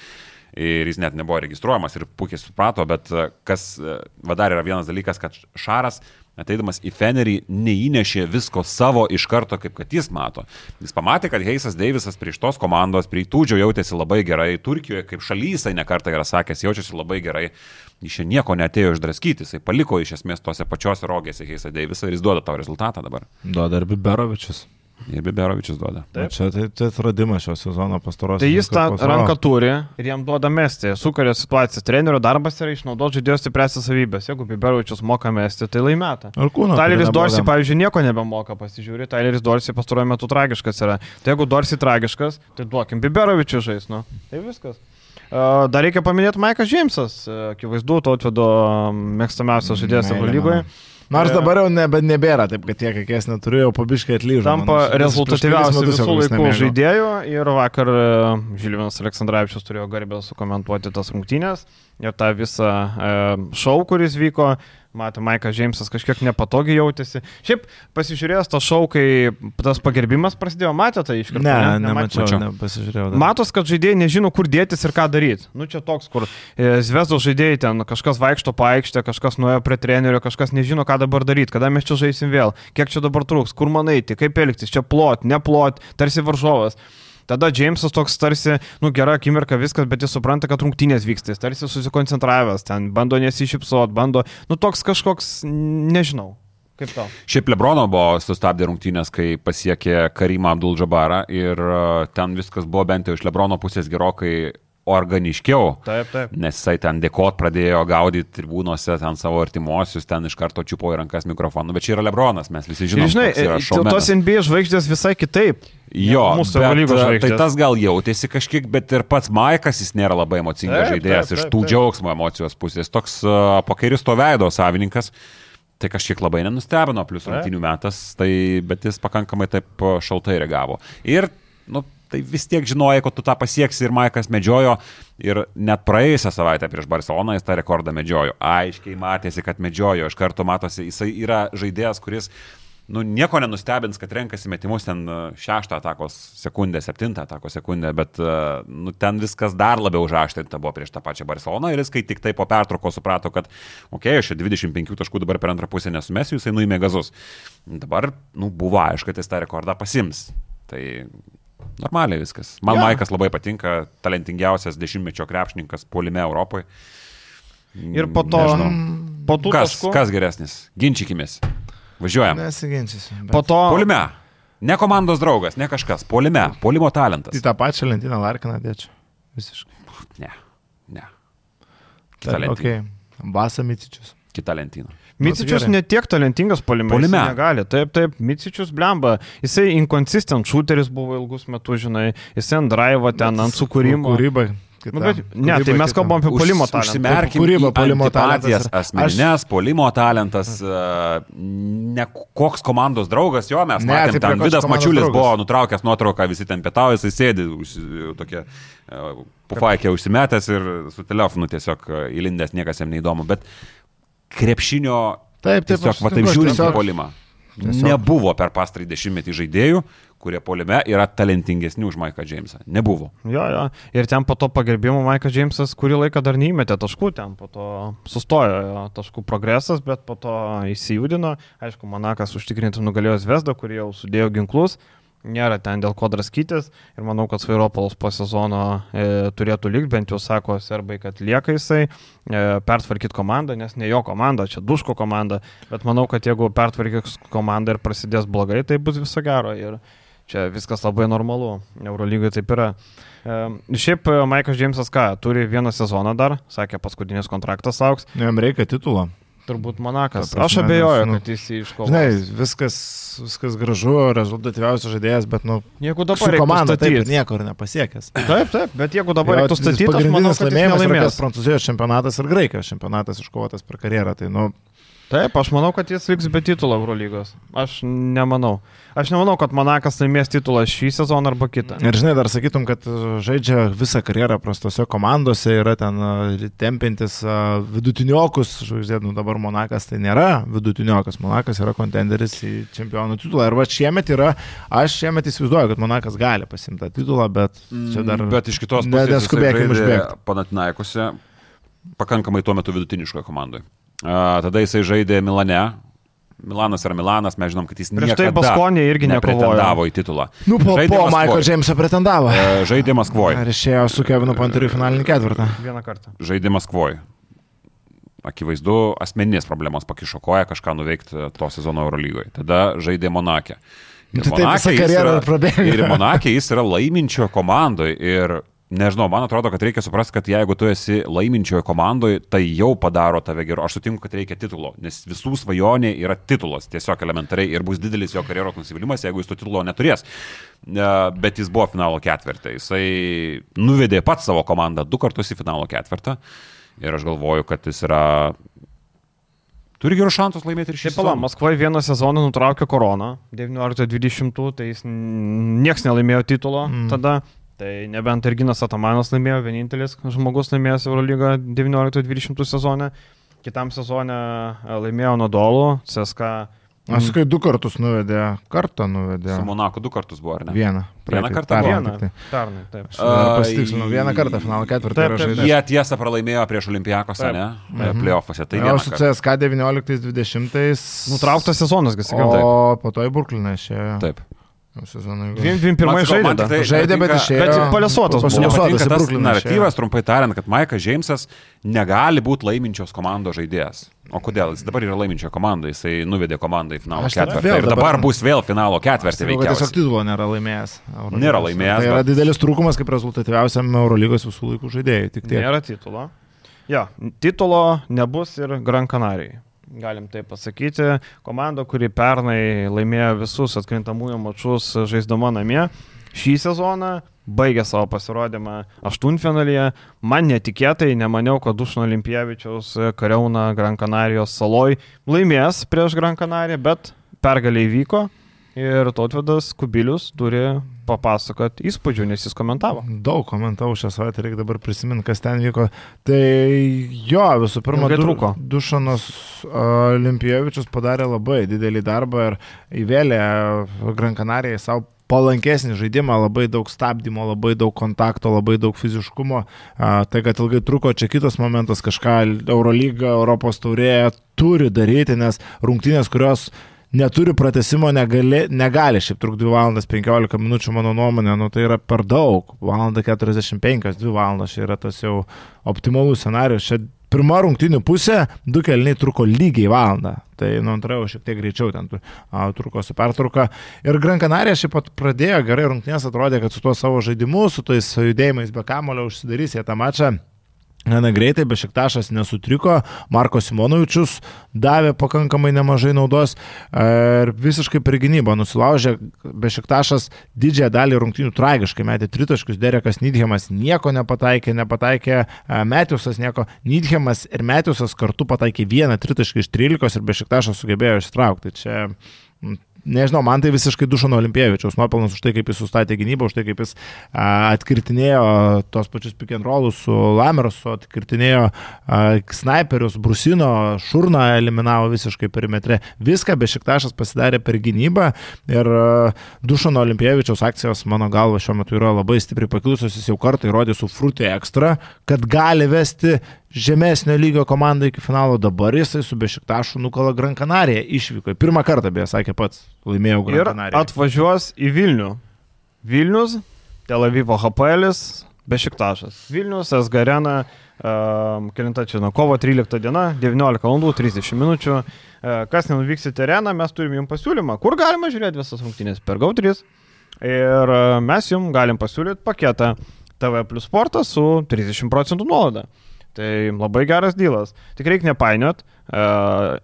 Ir jis net nebuvo registruojamas ir puikiai suprato, bet kas va dar yra vienas dalykas, kad Šaras, ateidamas į Fenerį, neįnešė visko savo iš karto, kaip kad jis mato. Jis pamatė, kad Heisas Deivisas prie šitos komandos, prie Tudžio jautėsi labai gerai, Turkijoje kaip šalyje jisai nekartą yra sakęs, jaučiasi labai gerai, jis čia nieko neatėjo išdraskyti, jisai paliko iš esmės tose pačiose rogėse Heisą Deivisą ir jis duoda tau rezultatą dabar. Duoda ir Biberovičius. Ir Biberovičius duoda. Taip. Čia tai, tai atradimas šio sezono pastarosios. Tai jis tą ranką turi ir jam duoda mesti. Sukuria situaciją. Trenerio darbas yra išnaudoti žaidėjo stipriausias savybės. Jeigu Biberovičius moka mesti, tai laimėta. Tyleris Dorsey, pavyzdžiui, nieko nebemoka, pasižiūri. Tyleris Dorsey pastaruoju metu tragiškas yra. Tai jeigu Dorsey tragiškas, tai duokim Biberovičius žais. Nu. Tai viskas. Dar reikia paminėti Maikas Džeimsas. Akivaizdu, Tautvydo mėgstamiausias žaidėjas Eurolygoje. Nors dabar jau nebe, nebėra, taip kad tiek, kiek jas neturiu, jau pabiškai atlyžo. Tampa rezultatyviausiu visų laikų žaidėjų ir vakar Žilvinas Aleksandravičius turėjo garbę sukomentuoti tas rungtynės ir tą visą šou, kuris vyko. Matė, Maikas Džeimsas kažkiek nepatogiai jautėsi. Šiaip pasižiūrėjęs tą šou, kai tas pagerbimas prasidėjo, matė tai iš karto? Ne, ne nemačiau, nepasižiūrėjau. Dar. Matos, kad žaidėjai nežino, kur dėtis ir ką daryti. Nu čia toks, kur Zvezdos žaidėjai ten kažkas vaikšto paikštę, kažkas nuėjo prie trenerio, kažkas nežino, ką dabar daryti, kada mes čia žaisim vėl, kiek čia dabar trūks, kur man eiti, kaip elgtis, čia plot, neplot, tarsi varžovas. Tada Džeimsas toks tarsi, nu gera akimirka viskas, bet jis supranta, kad rungtynės vyksta, jis tarsi susikoncentravęs, ten bando nesišypsot, bando, nu toks kažkoks, nežinau, kaip tau. Šiaip Lebrono buvo sustabdė rungtynės, kai pasiekė Karimą Abdul-Jabbarą ir ten viskas buvo bent jau iš Lebrono pusės gerokai organiškiau, taip, taip. Nes jisai ten dėkot pradėjo gaudyti tribūnose, ten savo artimuosius, ten iš karto čiupo į rankas mikrofoną, bet čia yra Lebronas, mes visi žinom, žinai, tos N B A žvaigždės visai kitaip. Jo, bet, tai tas gal jautėsi kažkiek, bet ir pats Maikas, jis nėra labai emocingas žaidėjas iš tų džiaugsmo emocijos pusės, toks uh, pokeristo veido savininkas. Tai kažkiek labai nenustebino, plus rungtynių metas, tai, bet jis pakankamai taip šaltai reagavo. Ir, nu, tai vis tiek žinojai, kad tu tą pasieksi ir Maikas medžiojo ir net praėjusią savaitę prieš Barceloną jis tą rekordą medžiojo. Aiškiai matėsi, kad medžiojo, iš karto matosi, jisai yra žaidėjas, kuris nu, nieko nenustebins, kad renkasi metimus ten šeštą atakos sekundę, septintą atakos sekundę, bet nu, ten viskas dar labiau užaštrinta buvo prieš tą pačią Barceloną ir jis, kai tik tai po pertraukos suprato, kad okei, okay, aš čia dvidešimt penkių taškų dabar per antrą pusę nesumesiu, jisai nuėmė gazus. Dabar nu, buvo aišku, kad jis tą rekordą pasims. Tai normaliai viskas. Man ja. Maikas labai patinka, talentingiausias dešimtmečio krepšininkas puolime Europoje. Ir po to, po tų kas, taškų. Kas geresnis? Ginčykimės. Važiuojam. Nesiginčysiu. Bet... Po to... Puolime. Ne komandos draugas, ne kažkas. Puolime. Puolimo talentas. Į tą pačią lentyną Larkiną dėčiau. Visiškai. Ne. Ne. Kita lentyna. Okay. Basa Micičius. Kita lentyna. Micičius ne tiek talentingas puolime. Puolime. Negali. Taip, taip. Micičius blemba. Jisai inconsistent shooteris buvo ilgus metus, žinai. Jisai ant drive, ten ant sukūrimo. Kūryba. Nu, bet, ne, tai mes kalbam apie puolimo talentą. Užsimerkim kūrybą, puolimo talentas. Asmeninės, aš... puolimo talentas, ne koks komandos draugas, jo mes ne, matėm, ten Vidas Mačiulis draugas. Buvo nutraukęs nuotrauką, visi ten pietauja, jisai sėdi, tokia pufaikė užsimetęs ir su telefonu tiesiog įlindęs, niekas jam neįdomu, bet krepšinio taip, taip, tiesiog, va taip žiūrint į puolimą. Nebuvo per pastarąjį dešimtmetį žaidėjų, kurie puolime yra talentingesni už Maiką Džeimsą. Nebuvo. Jo, jo. Ir ten po to pagerbimo Maikas Džeimsas kurį laiką dar neįmetė taškų, ten po to sustojo jo, taškų progresas, bet po to įsijudino. Aišku, Monakas užtikrinti nugalėjo Zvezdą, kurie jau sudėjo ginklus. nėra ten dėl ko draskytis ir manau, kad Svairopolas po sezono e, turėtų likti, bent jau sako serbai, kad lieka jisai, e, pertvarkyti komandą, nes ne jo komanda, čia Duško komanda, bet manau, kad jeigu pertvarkys komandą ir prasidės blogai, tai bus viso gero ir čia viskas labai normalu, Eurolygai taip yra. E, šiaip Maikas Džeimsas ką, turi vieną sezoną dar, sakė, paskutinis kontraktas auks. Jam reikia titulo. Turbūt Monakas. Prasme, aš abejoju, nes, nu, kad jis jį iškovos. Žinai, viskas, viskas gražu, rezultatyviausias žaidėjas, bet nu, jeigu dabar su komanda taip statyti. Niekur nepasiekęs. Taip, taip, bet jeigu dabar reiktų statyti, aš manau, kad jis nelaimės. Prancūzijos čempionatas ir Graikijos čempionatas iškovotas per karjerą. Tai, nu, taip, aš manau, kad jis liks be titulo Eurolygos. Aš nemanau. Aš nemanau, kad Monakas laimės titulą šį sezoną arba kitą. Ir žinai, dar sakytum, kad žaidžia visą karjerą prastose komandose, yra ten tempintis vidutiniokus, žvaigždė, nu dabar Monakas tai nėra vidutiniokas, Monakas yra kontenderis į čempionų titulą. Ir va šiemet yra, aš šiemet įsivaizduoju, kad Monakas gali pasimti tą titulą, bet čia dar... Bet iš kitos pusės neskubėkim užbėgti. Panathinaikose pakankamai tuo metu vidutiniškoje komandoje. Uh, tada jisai žaidė Milane. Milanas yra Milanas, mes žinom, kad jis Prieš niekada tai Baskonė irgi nepretendavo į titulą. Nu, po, po Maiko Džeimso pretendavo. Uh, žaidė Maskvoje. Ar išėjo su Kevinu Panteriu finalinį ketvirtą? Vieną kartą. Žaidė Maskvoje. Akivaizdu, asmeninės problemos pakišo koją kažką nuveikti to sezono Eurolygoje. Tada žaidė Monake. Ir tai visą karjerą prabėgo. Ir Monake jis yra laiminčio komandoje ir nežinau, man atrodo, kad reikia suprasti, kad jeigu tu esi laiminčioje komandoje, tai jau padaro tave geru. Aš sutinku, kad reikia titulo, nes visų svajonė yra titulas, tiesiog elementariai, ir bus didelis jo karjeros nusivylimas, jeigu jis to titulo neturės. Bet jis buvo finalo ketvirtą. Jisai nuvedė pats savo komandą du kartus į finalo ketvirtą ir aš galvoju, kad jis yra... Turi gerus šansus laimėti ir šį sezoną. Maskvoje vieną sezoną nutraukė koroną, devynioliktų dvidešimtų, tai jis nieks nelaimėjo titulo mm. tada. Tai nebent Erginas Atamanas laimėjo, vienintelis žmogus laimėjęs Eurolygą devynioliktų dvidešimtų sezone. Kitam sezone laimėjo Nadolų, C S K. Aš sakai, du kartus nuvedė, kartą nuvedė. Su Monaku du kartus buvo, ar ne? Vieną. Vieną kartą? Vieną. Pernai, taip. Pasitikslinau, vieną kartą finalo ketvirtą yra žaidęs. Jie tiesą pralaimėjo prieš Olimpijakosą, ne? Mhm. Play-offuose. Tai o su C S K devynioliktais dvidešimtais. Nutrauktas sezonas, gal sakiau. O po to į Brukliną išėjo. Taip. Dviem, dviem pirmai žaidė. Tai žaidė, bet išėjo. Bet palesuotas buvo. Nepatinka tas naratyvas, trumpai tariant, kad Maikas Džeimsas negali būti laiminčios komandos žaidėjas. O kodėl? Jis dabar yra laiminčio komanda, jisai nuvedė komandą į finalo ketvirtį. Ir dabar bus vėl finalo ketvirtį veikiausiai. Tiesiog titulo nėra laimėjęs. Eurolygos. Nėra laimėjęs. Tai yra bet... didelis trūkumas kaip rezultatyviausiam Eurolygos visų laikų žaidėjai. Tik tiek. Nėra titulo. Ja, titulo nebus ir Gran Canarijai. Galim tai pasakyti, komanda, kuri pernai laimėjo visus atkrintamųjų mačus žaisdama namie, šį sezoną baigė savo pasirodymą aštuntfinalyje. Man netikėtai, nemaniau, kad Dušano Olimpijavičiaus kariauna Gran Canarijos saloj laimės prieš Gran Canariją, bet pergalė įvyko ir Tautvydas Kubilius turi papasakot įspūdžių, nes jis komentavo. Daug komentavau šią savaitę, reikia dabar prisiminti, kas ten vyko. Tai jo, visų pirma, du, Dušanas Olimpijavičius padarė labai didelį darbą ir įvėlė Gran Canarijai savo palankesnį žaidimą, labai daug stabdymo, labai daug kontakto, labai daug fiziškumo. Tai, kad ilgai truko, čia kitas momentas, kažką Eurolyga, Europos taurė turi daryti, nes rungtynės, kurios neturi pratęsimo, negali, negali šiaip truk dvi valandas penkiolika minučių, mano nuomonė, nu tai yra per daug. Valanda keturiasdešimt penkios, dvi valandas, čia yra tas jau optimalus scenarius. Čia pirma rungtynių pusė, du kėliniai truko lygiai valandą. Tai, nu, antra jau šiek tiek greičiau ten a, truko su pertrauka. Ir Gran Canarija šiaip pat pradėjo gerai rungtynės, atrodė, kad su tuo savo žaidimu, su tais judėjimais be kamulio užsidarys jie tą mačą. Gana greitai, Bešiktašas nesutriko, Marko Simonovičius davė pakankamai nemažai naudos ir visiškai per gynybą nusilaužė. Bešiktašas didžiąją dalį rungtynių tragiškai metė tritaškius, Derekas Nidhemas nieko nepataikė, nepataikė Metiusas nieko, Nidhemas ir Metiusas kartu pataikė vieną tritaškį iš trylikos ir Bešiktašas sugebėjo išsitraukti. Čia... Nežinau, man tai visiškai Dušano Olimpijavičiaus nuopelnas už tai, kaip jis sustatė gynybą, už tai, kaip jis a, atkirtinėjo tos pačius pick and rollus su Lamersu, atkirtinėjo a, snaiperius, Brusino, Šurną eliminavo visiškai perimetre. Viską Bešiktašas pasidarė per gynybą ir a, Dušano Olimpijavičiaus akcijos, mano galva, šiuo metu yra labai stipriai pakilusios, jis jau kartą įrodė su Fruity Extra, kad gali vesti žemesnio lygio komanda iki finalo, dabar jisai su Bešiktašu nukala Gran Canaria išvyko. Pirmą kartą, beje, sakė pats, laimėjau Gran Canaria. Ir atvažiuos į Vilnių. Vilnius, Tel Avivo H P L, Bešiktašas. Vilnius, S G Arena, um, kelinta čia, nuo kovo trylikta diena, devyniolika valandų trisdešimt minučių. Uh, kas nenuvyks į tereną, mes turim jums pasiūlymą, kur galima žiūrėti visas rungtynės per G O trys. Ir uh, mes jums galim pasiūlyti paketą T V plus sportas su trisdešimt procentų nuolaida. Tai labai geras dylas. Tik reikia nepainiot, e,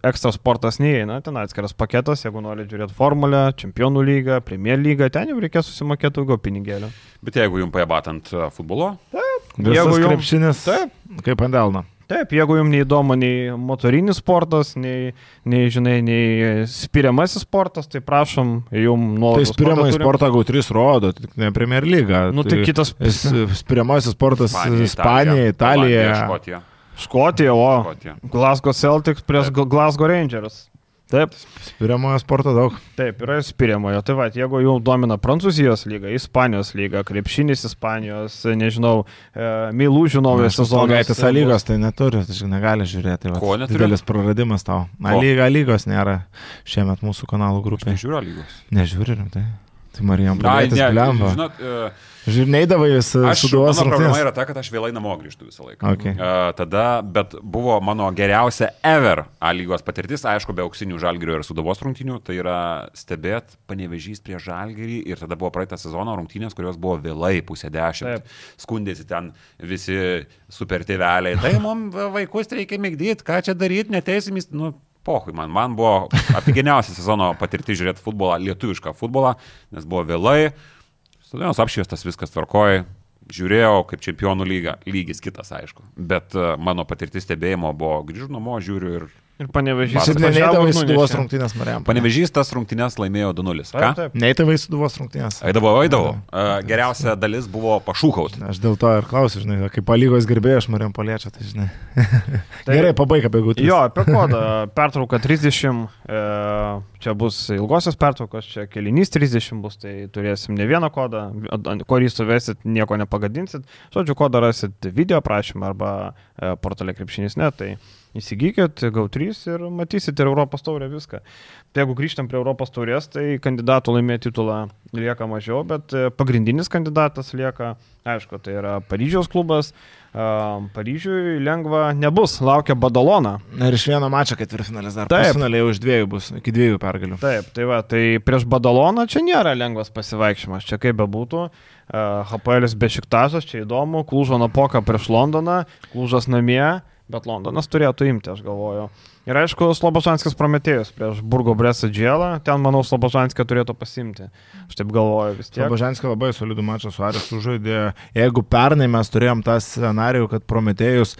ekstra sportas neįeina, ten atskiras paketas, jeigu nori žiūrėti formulę, čempionų lygą, premier lygą, ten jau reikės susimokėti daugiau pinigėlių. Bet jeigu jums pajabatant futbolo? Taip. Visas jum... krepšinis, taip. Kaip ant delno. Taip, jeigu jums neįdomu nei motorinis sportas, nei, nei, žinai, nei spiriamasis sportas, tai prašom, jums nuolaida. Tai spiriamąjį sportą G O trys rodo, tik ne Premier Lyga. Nu, tai, tai kitas... Spiriamasis sportas Ispanija, Italija. Škotija. Škotija, o Škotija. Glasgow Celtics prieš Glasgow Rangers. Taip. Spiriamojo sporto daug. Taip, yra spiriamojo. Tai va, jeigu jau domina Prancūzijos lyga, Ispanijos lyga, krepšinis Ispanijos, nežinau, e, Meilužių naujas sezonas. Gaitės A lygos tai neturi, tai negali žiūrėti. Va, ko neturi? Didelis praradimas tau. A lyga lygos nėra šiemet mūsų kanalų grupėje. Nežiūriu lygos. Nežiūriu, tai. Tai Marijam pradėtis pliamba. Žinot, uh, Žirneidavai vis aš, suduvos mano rungtynės. problema yra ta, kad aš vėlai namo grįžtu visą laiką. Okay. Uh, tada, bet buvo mano geriausia ever A lygos patirtis, aišku, be auksinių Žalgirio ir Sūduvos rungtynių, tai yra stebėt Panevėžys prieš Žalgirį ir tada buvo praeitą sezono rungtynės, kurios buvo vėlai pusę dešimt. Taip. Skundėsi ten visi super tėveliai. Tai mums vaikus reikia migdyti, ką čia daryti, neteisimis, nu... Pohui, man, man buvo apigeniausia sezono patirti žiūrėti futbolą, lietuvišką futbolą, nes buvo vėlai, stadionas apšviestas, viskas tvarkoja, žiūrėjau kaip čempionų lyga, lygis kitas, aišku, bet uh, mano patirtis stebėjimo buvo grįžu namo, žiūriu ir... Ir Panevėžys. Ir neįdavai Sūduvos rungtynės, Marijam. Panevėžys tas rungtynės laimėjo du nulis. Ką? Neįdavai Sūduvos rungtynės. Eidavau, eidavau. Uh, geriausia dalis buvo pašūkauti. Aš dėl to ir klausiu, žinai, kaip A lygos gerbėjai, aš Marijam Paliečia, tai žinai. Tai, gerai, pabaig apie G O trys. Jo, apie kodą. Pertrauka trisdešimt, e, čia bus ilgosios pertraukos, čia kelinys trisdešimt bus, tai turėsim ne vieną kodą, kurį suvesit, nieko nepagadinsit. Žodžiu, kodą rasit video prašymą arba e, portale krepšinis net, tai įsigykit G O trys ir matysit ir Europos taurę viską. Tai jeigu grįžtam prie Europos taurės, tai kandidatų laimėti titulą lieka mažiau, bet pagrindinis kandidatas lieka, aišku, tai yra Paryžiaus klubas. Paryžiui lengva nebus, laukia Badalona. Ir iš vieno mačo ketvirtfinalis dar. Pusfinaliai už dviejų bus, iki dviejų pergalių. Taip, tai va, tai prieš Badaloną čia nėra lengvas pasivaikščiojimas, čia kaip bebūtų. H P L Bešiktašas, čia įdomu, Klužo Napoka prieš Londoną, Klužas namie. Bet Londonas turėtų imti, aš galvoju. Ir aišku, Slobožanskis Prometėjus prieš Burgo Bresa Džielą, ten, manau, Slobožanskį turėtų pasimti. Aš taip galvoju vis tiek. Slobožanskį labai solidų mačą su Aris sužaidė. Jeigu pernai mes turėjom tą scenarijų, kad Prometėjus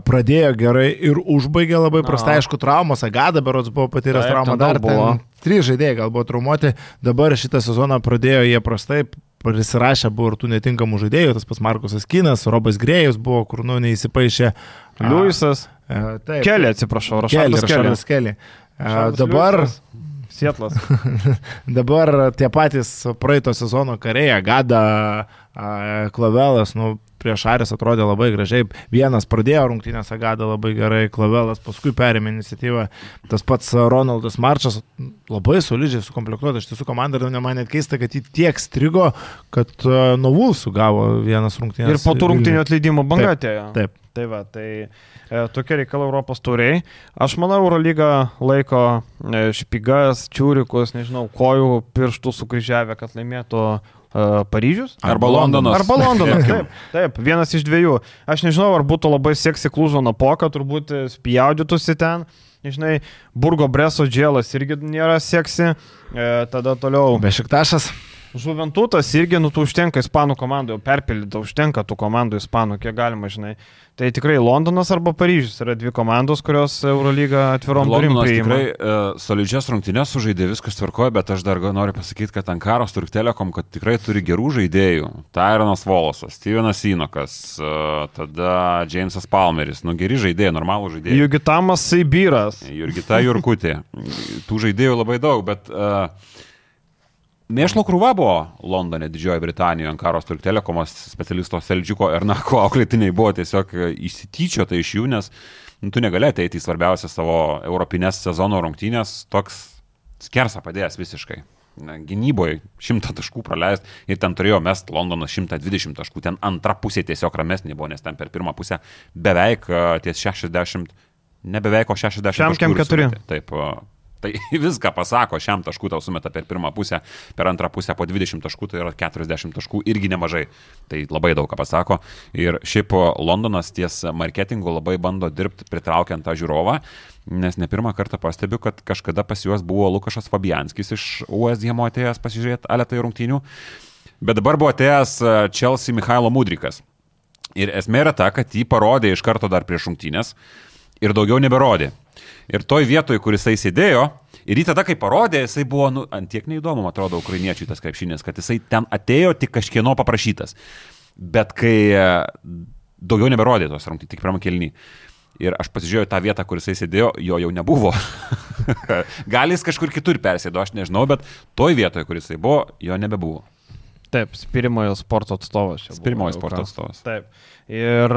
pradėjo gerai ir užbaigė labai prastai, aišku, traumos, Agada berods buvo patyręs traumą, dar buvo. Trys žaidėjai gal buvo traumuoti, dabar šitą sezoną pradėjo jie prastai. Prisirašę buvo ir tų netinkamų žaidėjų, tas pats Markusas Kinas, Robas Grėjus buvo, kur nu neįsipaišė. Liujisas. Kelly, atsiprašau, Rašardas Kelly. Dabar... Sietlas. Dabar tie patys praeito sezono kariai, Agada, Klavelas, nu, prieš Aris atrodė labai gražiai. Vienas pradėjo rungtynės, Agada labai gerai, Klavelas paskui perėmė iniciatyvą. Tas pats Ronaldas Marčas labai solidžiai sukomplektuota. Iš tiesų komanda, ir man net keista, kad jį tiek strigo, kad nuo Vulsų gavo vienas rungtynės. Ir po tų rungtynių atleidimo banga atėjo. Taip. taip. Tai va, tai e, tokie reikalai Europos tauriai. Aš manau, Eurolyga laiko e, špigas, čiūrikus, nežinau, kojų pirštų sukryžiavę, kad laimėtų e, Paryžius. Arba Londonas. Arba Londonas, taip, taip, vienas iš dviejų. Aš nežinau, ar būtų labai seksi Klužo Napoka, turbūt spjaudytųsi ten. Žinai, Burgo Breso Džielas irgi nėra seksi. E, tada toliau. Bešiktašas. Žuventutas irgi, nu, tu užtenka ispanų komandų, jau perpildyta, užtenka tų komandų ispanų, kiek galima, žinai. Tai tikrai Londonas arba Paryžius yra dvi komandos, kurios Eurolyga atvirom durim priima. Londonas tikrai uh, solidžias rungtynes sužaidė, viskas tvarkoja, bet aš dar noriu pasakyti, kad Ankaros Turk Telekom, kad tikrai turi gerų žaidėjų. Tyronas Volosas, Stevenas Inokas, uh, tada Jamesas Palmeris, nu geri žaidėjai, normalų žaidėjai. Jurgitamas Saibyras. Jurgita Jurkutė. Tų žaidėjų labai daug, bet... Uh, Mėšlo krūva buvo Londone, Didžiojo Britanijoje, Ankaros Turk Telekomos specialisto Seldžiuko Ernako auklėtiniai buvo tiesiog įsityčiota iš jų, nes nu, tu negali ateiti į svarbiausią savo europinės sezono rungtynės, toks skersą padėjęs visiškai. Gynyboje šimtą taškų praleist ir ten turėjo mest Londonas šimtą dvidešimt taškų, ten antra pusė tiesiog ramesnė buvo, nes ten per pirmą pusę beveik ties šešiasdešimt, ne beveik, o šešiasdešimt taškų. keturi. Taip, tai viską pasako, šiam taškų tau sumeta per pirmą pusę, per antrą pusę po dvidešimt taškų, tai yra keturiasdešimt taškų, irgi nemažai, tai labai daug ką pasako. Ir šiaip Londonas ties marketingu labai bando dirbti pritraukiant tą žiūrovą, nes ne pirmą kartą pastebiu, kad kažkada pas juos buvo Lukašas Fabianskis iš West Hamo atėjęs pasižiūrėti aletai rungtynių, bet dabar buvo atėjęs Chelsea Michailo Mudrikas. Ir esmė yra ta, kad jį parodė iš karto dar prieš rungtynės ir daugiau neberodė. Ir toj vietoj, kur jisai sėdėjo, ir jį tada, kai parodė, jisai buvo, nu, antiek neįdomu, man atrodo, ukrainiečiui tas krepšinis, kad jisai ten atėjo tik kažkieno paprašytas. Bet kai daugiau neberodė tos rungtynės, tik pirmą kėlinį. Ir aš pasižiūrėjau tą vietą, kur jisai sėdėjo, jo jau nebuvo. Gal jis kažkur kitur persėdo, aš nežinau, bet toj vietoje, kur jisai buvo, jo nebebuvo. Taip, Spirimojo sporto atstovas. Spirimojo sporto atstovas. Taip. Ir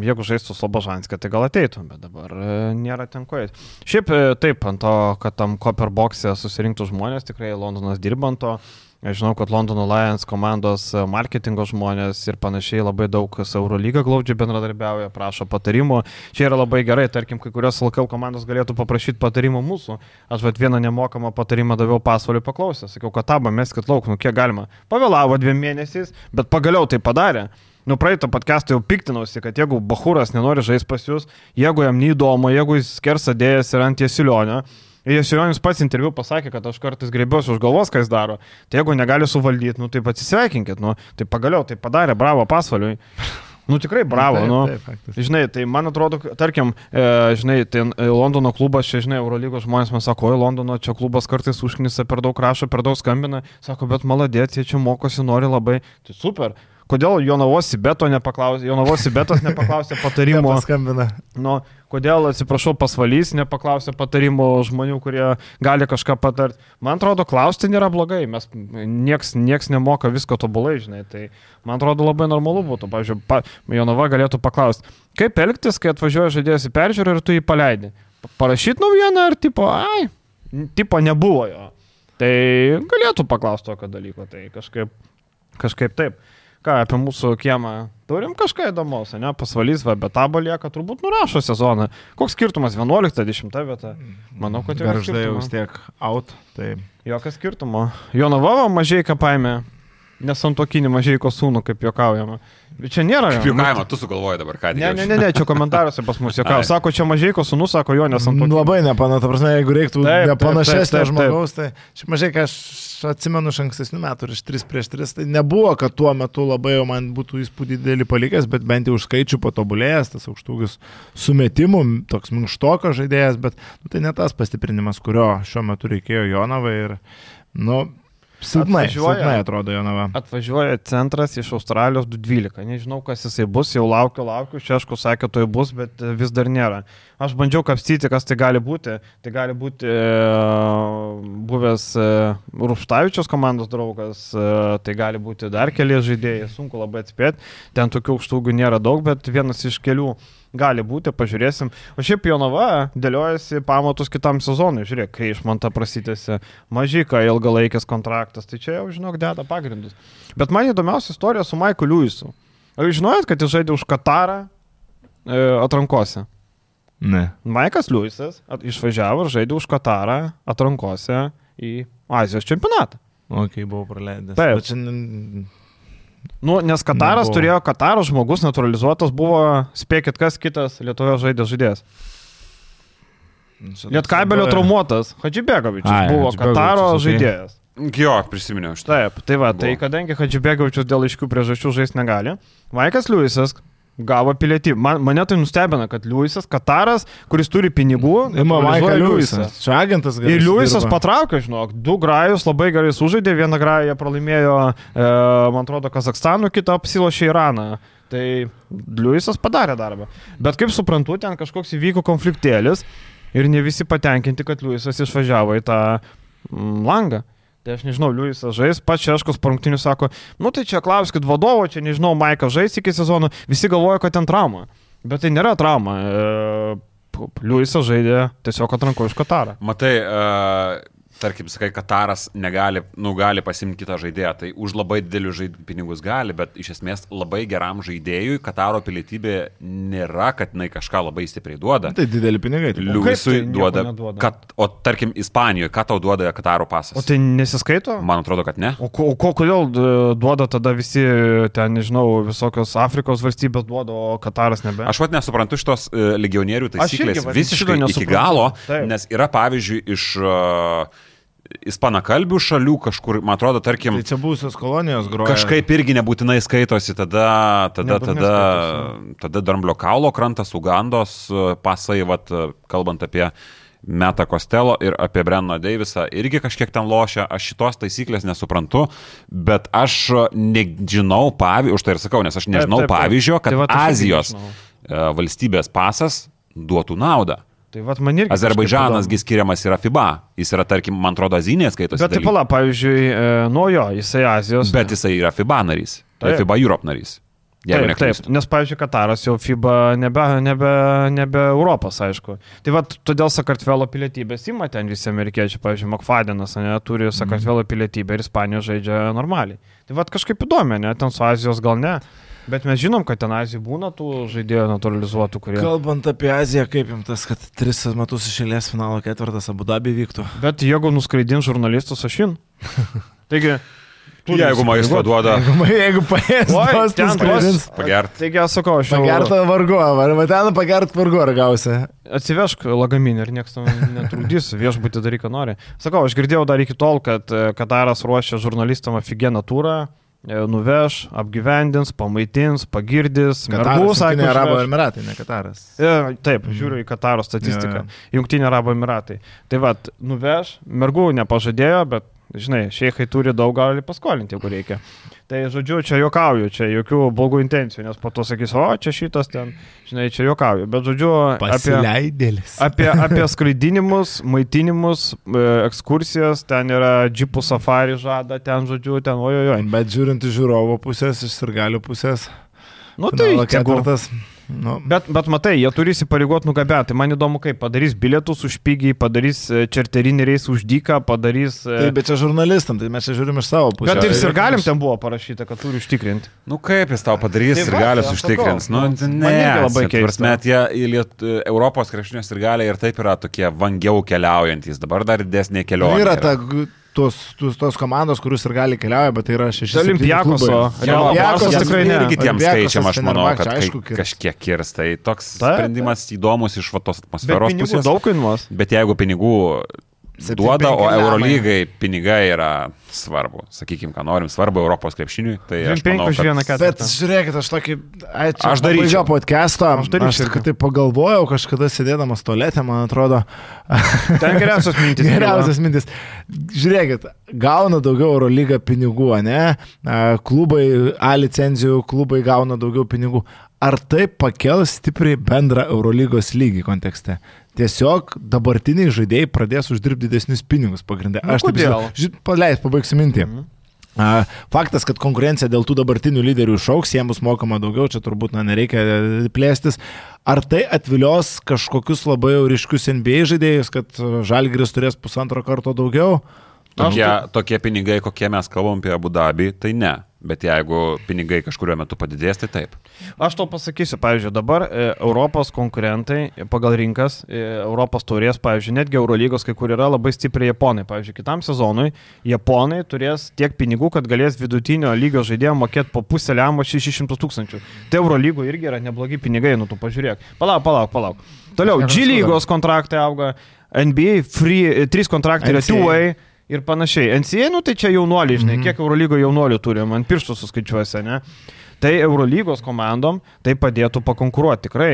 jeigu žaistų Slobožanskį, tai gal ateitų, bet dabar nėra ten ko eiti. Šiaip taip, ant to, kad tam Copper Box'e susirinktų žmonės, tikrai Londonas dirba ant to. Aš žinau, kad Londono Lions komandos marketingo žmonės ir panašiai labai daug su Eurolyga glaudžiai bendradarbiauja, prašo patarimų. Čia yra labai gerai, tarkim, kai kurios L K L komandos galėtų paprašyti patarimų mūsų. Aš vat vieną nemokamą patarimą daviau Pasvaliui paklausę, sakiau, kad tabą meskit lauk, nu kiek galima. Pavėlavo dviem mėnesiais, bet pagaliau tai padarė. Nu praeitą podcastą jau piktinausi, kad jeigu Bachuras nenori žaisti pas jūs, jeigu jam neįdomu, jeigu jis skersa dėjęs ir ant Jesilionio, Jesilionis pats interviu pasakė, kad aš kartais griebiuosi už galvos, ką jis daro. Tai jeigu negali suvaldyti, nu tai atsisveikinkit, nu tai pagaliau tai padarė, bravo Pasvaliui. Nu tikrai bravo, taip, nu. Taip, taip, žinai, tai man atrodo, tarkim, e, žinai, tai Londono klubas, čia, žinai, Eurolygos žmonės man sako, oi, Londono čia klubas kartais užknisa, per daug rašo, per daug skambina, sako, bet maladėt, jie čia mokosi, nori labai, tai super. Kodėl Jonavos Sibeto nepaklausė, Jonavos Sibetas nepaklausė patarimo. Nepaskambina. Nu, kodėl, atsiprašau, Pasvalys nepaklausė patarimo žmonių, kurie gali kažką patarti. Man atrodo, klausti nėra blogai, mes nieks, nieks nemoka visko tobulai, žinai, tai man atrodo labai normalu būtų. Pavyzdžiui, pa, Jonava galėtų paklausti, kaip elgtis, kai atvažiuoja žaidėjas į peržiūrą ir tu jį paleidi. Parašyti naujieną ar tipo, ai, tipo nebuvo jo. Tai galėtų paklausti tokio dalyko, tai kažkaip, kažkaip taip. Ką, apie mūsų kiemą turim kažką įdomaus, ne? Pasvalys, va, bet tabo lieka, turbūt nurašo sezoną. Koks skirtumas, vienuolikta, dešimta vieta? Manau, kad jau Garždai jau vis tiek out, tai... Jokio skirtumo. Jonava Mažeika paėmė, nesantuokinį Mažeiko sūnų, kaip juokaujama. Bet čia nėra. Kaip juokavimą, tu sugalvoji dabar, ką ne, ne, ne, ne, čia komentaruose pas mus juokavo. Sako, čia Mažeiko sūnų, sako jo nesantuokinį. Labai nepana, ta prasme, jeigu reiktų nepanašesnio žmogaus, tai čia Mažeika, aš atsimenu iš ankstesnių metų ir iš tris prieš tris, tai nebuvo, kad tuo metu labai jau man būtų įspūdį didelį palikęs, bet bent jau už skaičių patobulėjęs, tas aukštūgis sumetimų, toks minkštoko žaidėjas, bet nu, tai ne tas pastiprinimas, kurio šiuo metu reikėjo Jonavai ir, nu, silpnai, silpnai atrodo Jonava. Atvažiuoja centras iš Australijos du dvylika, nežinau, kas jisai bus, jau laukiu, laukiu, Šeškus sakė, to bus, bet vis dar nėra. Aš bandžiau kapstyti, kas tai gali būti. Tai gali būti e, buvęs e, Rupštavičiaus komandos draugas, e, tai gali būti dar keli žaidėjai, sunku labai atspėti. Ten tokių aukštūgių nėra daug, bet vienas iš kelių gali būti, pažiūrėsim. O šiaip Jonava dėliojasi pamatus kitam sezonui. Žiūrėk, kai iš man tą prasitėsi Mažika ilgalaikis kontraktas, tai čia jau, žinok, deda pagrindus. Bet man įdomiausia istorija su Maiku Liuisu. Ar jūs žinojot, kad jis žaidė už Katarą e, atrankose? Ne. Maikas Liuisas išvažiavo ir žaidė už Katarą atrankose į Azijos čempionatą. O, kai buvau praleidęs. Taip. Bet šiandien... Nu, nes Kataras Nebuvo. turėjo, Kataro žmogus naturalizuotas buvo, spėkit, kas kitas Lietuvoje žaidė žaidėjas. Lietkabelio traumuotas, Hadžibegovičius buvo Kataro okay. žaidėjas. Jo, prisiminiau aš. Taip, tai va, buvo. Tai kadangi Hadžibegovičius dėl aiškių priežasčių žaisti negali, Maikas Liuisas gavo pilietybę. Man, mane tai nustebina, kad Liuisas, Kataras, kuris turi pinigų, Maikas Liuisas. Čia agentas gerai. Ir Liuisas patraukė, žinok, du grajus labai gerai sužaidė, vieną grają jie pralaimėjo, e, man atrodo, Kazakstanų, kitą apsilošė Iraną. Tai Liuisas padarė darbą. Bet kaip suprantu, ten kažkoks įvyko konfliktėlis ir ne visi patenkinti, kad Liuisas išvažiavo į tą mm, langą. Tai aš nežinau, Liujisas žais, pats Šeškus po rungtynių sako, nu tai čia klauskit vadovo, čia nežinau, Maikas žais iki sezono, visi galvoja, kad ten trauma. Bet tai nėra trauma. E, Liujisas žaidė tiesiog atranko iš Katarą. Matai, uh, tarkim, sakai, Kataras negali, nu, gali pasimti kitą žaidėją, tai už labai didelius žaid... pinigus gali, bet iš esmės labai geram žaidėjui Kataro pilietybė nėra, kad jinai kažką labai stipriai duoda. Tai dideli pinigai. Liujisui tai duoda, kad, o tarkim, Ispanijoje, ką tau duoda Kataro pasas? O tai nesiskaito? Man atrodo, kad ne. O, ko, o kodėl duoda tada visi, ten, nežinau, visokios Afrikos valstybės duoda, o Kataras nebe? Aš vat nesuprantu šitos uh, legionierių taisyklės visiškai iki galo, taip. Nes yra, pavyzdžiui, iš... Uh, ispanakalbių šalių kažkur, man atrodo, tarkim... Tai čia būsios kolonijos groja. Kažkaip irgi nebūtinai skaitosi, tada, tada, tada, skaitosi. Tada Dramblio kaulo krantas, Ugandos pasai, vat, kalbant apie Metą Kostelo ir apie Brenno Deivisą, irgi kažkiek ten lošia, aš šitos taisyklės nesuprantu, bet aš nežinau pavyzdžio, už tai ir sakau, nes aš nežinau taip, taip, taip. pavyzdžio, kad tai Azijos valstybės pasas duotų naudą. Tai vat man irgi Azerbaidžanasgi skiriamas yra FIBA, jis yra, tarkim, man atrodo, Azinė skaitosi. Bet taip pala, pavyzdžiui, e, nuo jo, jisai Azijos. Bet jisai yra FIBA narys, tai FIBA Europe narys. Taip, taip, nes, pavyzdžiui, Kataras jau FIBA nebe, nebe, nebe Europos, aišku. Tai vat todėl Sakartvelo pilietybės ima ten visi amerikiečiai, pavyzdžiui, Makfadenas, ne, turi Sakartvelo pilietybę ir Ispanijos žaidžia normaliai. Tai vat kažkaip įdomi, ne, ten su Azijos gal ne. Bet mes žinom, kad ten Azijai būna tų žaidėjų naturalizuotų, kurie... Kalbant apie Aziją, kaip jums tas, kad tris metus išėlės finalo ketvirtas Abu Dabi vyktų? Bet jeigu nuskraidins žurnalistus, aš in. Taigi... Jeigu maisto duoda... Jeigu, jeigu paės, tos nuskraidins. Pagert. Taigi aš sakau, aš jau... Pagertą vargu, arba ten pagert vargu ar gausi. Atsivežk lagaminį ir niekas tam netrukdys, viešbutį daryk, ką nori. Sakau, aš girdėjau dar iki tol, kad Kataras ruošia žurnalistam aфиgeną turą. Nuveš, apgyvendins, pamaitins, pagirdis, mergus, Jungtinė Arabų Emiratai, ne Kataras. E, taip, žiūriu į Kataro statistiką. Ja. Jungtinė Arabų Emiratai. Tai vat, nuveš, mergų nepažadėjo, bet, žinai, šeikai turi daug, gali paskolinti, jeigu reikia. Tai, žodžiu, čia juokauju, čia jokių blogų intencijų, nes po to sakys, o, čia šitas ten, žinai, čia juokauju. Bet, žodžiu, apie, apie, apie skraidinimus, maitinimus, ekskursijas, ten yra džipų safari žada, ten, žodžiu, ten, ojojoj. Bet žiūrint iš žiūrovo pusės, iš sirgalių pusės, nu tai ketvirtas. Nu. Bet, bet matai, jie turi įsipareigot nugabenti. Man įdomu, kaip padarys bilietus už pigiai, padarys čarterinį reisą už dyką, padarys... Taip, bet čia žurnalistam, tai mes čia žiūrim iš savo pusės. Bet ir sirgalim ten buvo parašyta, kad turi užtikrinti. Nu kaip jis tau padarys, sirgalius užtikrins? Nu, ne, labai keista. Net Europos krepšinio sirgaliai ir taip yra tokie vangiau keliaujantys, dabar dar didesnė kelionė. Yra ta... Tos, tos, tos komandos, kurius ir gali keliauja, bet tai yra šeši Olimpiakos, o Olimpiakos tikrai ne. Ir kitiems skaičiam, aš manau, kad aišku, kažkiek kirs. Tai toks ta, sprendimas ta. Įdomus iš tos atmosferos pusės. Bet daug kainuos. Bet jeigu pinigų duoda, o Eurolygai pinigai yra svarbu. Sakykime, ką norim, svarbu Europos krepšiniui. Tai aš manau, kad... Bet žiūrėkit, aš tokį... Ai, aš daryčiau podcast'o. Aš, aš tai pagalvojau, kažkada sėdėdamas tualete, man atrodo... Ten geriausias mintis. Geriausias mintis. Žiūrėkit, gauna daugiau Eurolyga pinigų, ne? Klubai, A licenzijų klubai gauna daugiau pinigų. Ar tai pakels stipriai bendrą Eurolygos lygį kontekste? Tiesiog dabartiniai žaidėjai pradės uždirbti didesnius pinigus pagrindę. Aš taip žinau, paleis, pabaigsiu mintį. Mhm. Faktas, kad konkurencija dėl tų dabartinių lyderių išauks, jiems bus mokama daugiau, čia turbūt na, nereikia plėstis. Ar tai atvilios kažkokius labai ryškius N B A žaidėjus, kad Žalgiris turės pusantro karto daugiau? Tokie, tokie pinigai, kokie mes kalbam apie Abu Dabį, tai ne. Bet jeigu pinigai kažkurio metu padidės, tai taip. Aš to pasakysiu, pavyzdžiui, dabar e, Europos konkurentai pagal rinkas, e, Europos taurės, pavyzdžiui, netgi Eurolygos, kai kur yra labai stipriai japonai. Pavyzdžiui, kitam sezonui japonai turės tiek pinigų, kad galės vidutinio lygio žaidėjo mokėti po pusę liamo šešis šimtus tūkstančių. Tai Eurolygo irgi yra neblogi pinigai, nu tu pažiūrėk. Palauk, palauk, palauk. Toliau, G lygos kontraktai auga, N B A free, trys kontraktai yra two-way. Ir panašiai. N C A, nu tai čia jaunuoliai, žinai, mm-hmm. kiek Eurolygo jaunuolių turi, man pirštų suskaičiuosi, ne? Tai Eurolygos komandom tai padėtų pakonkuruoti tikrai,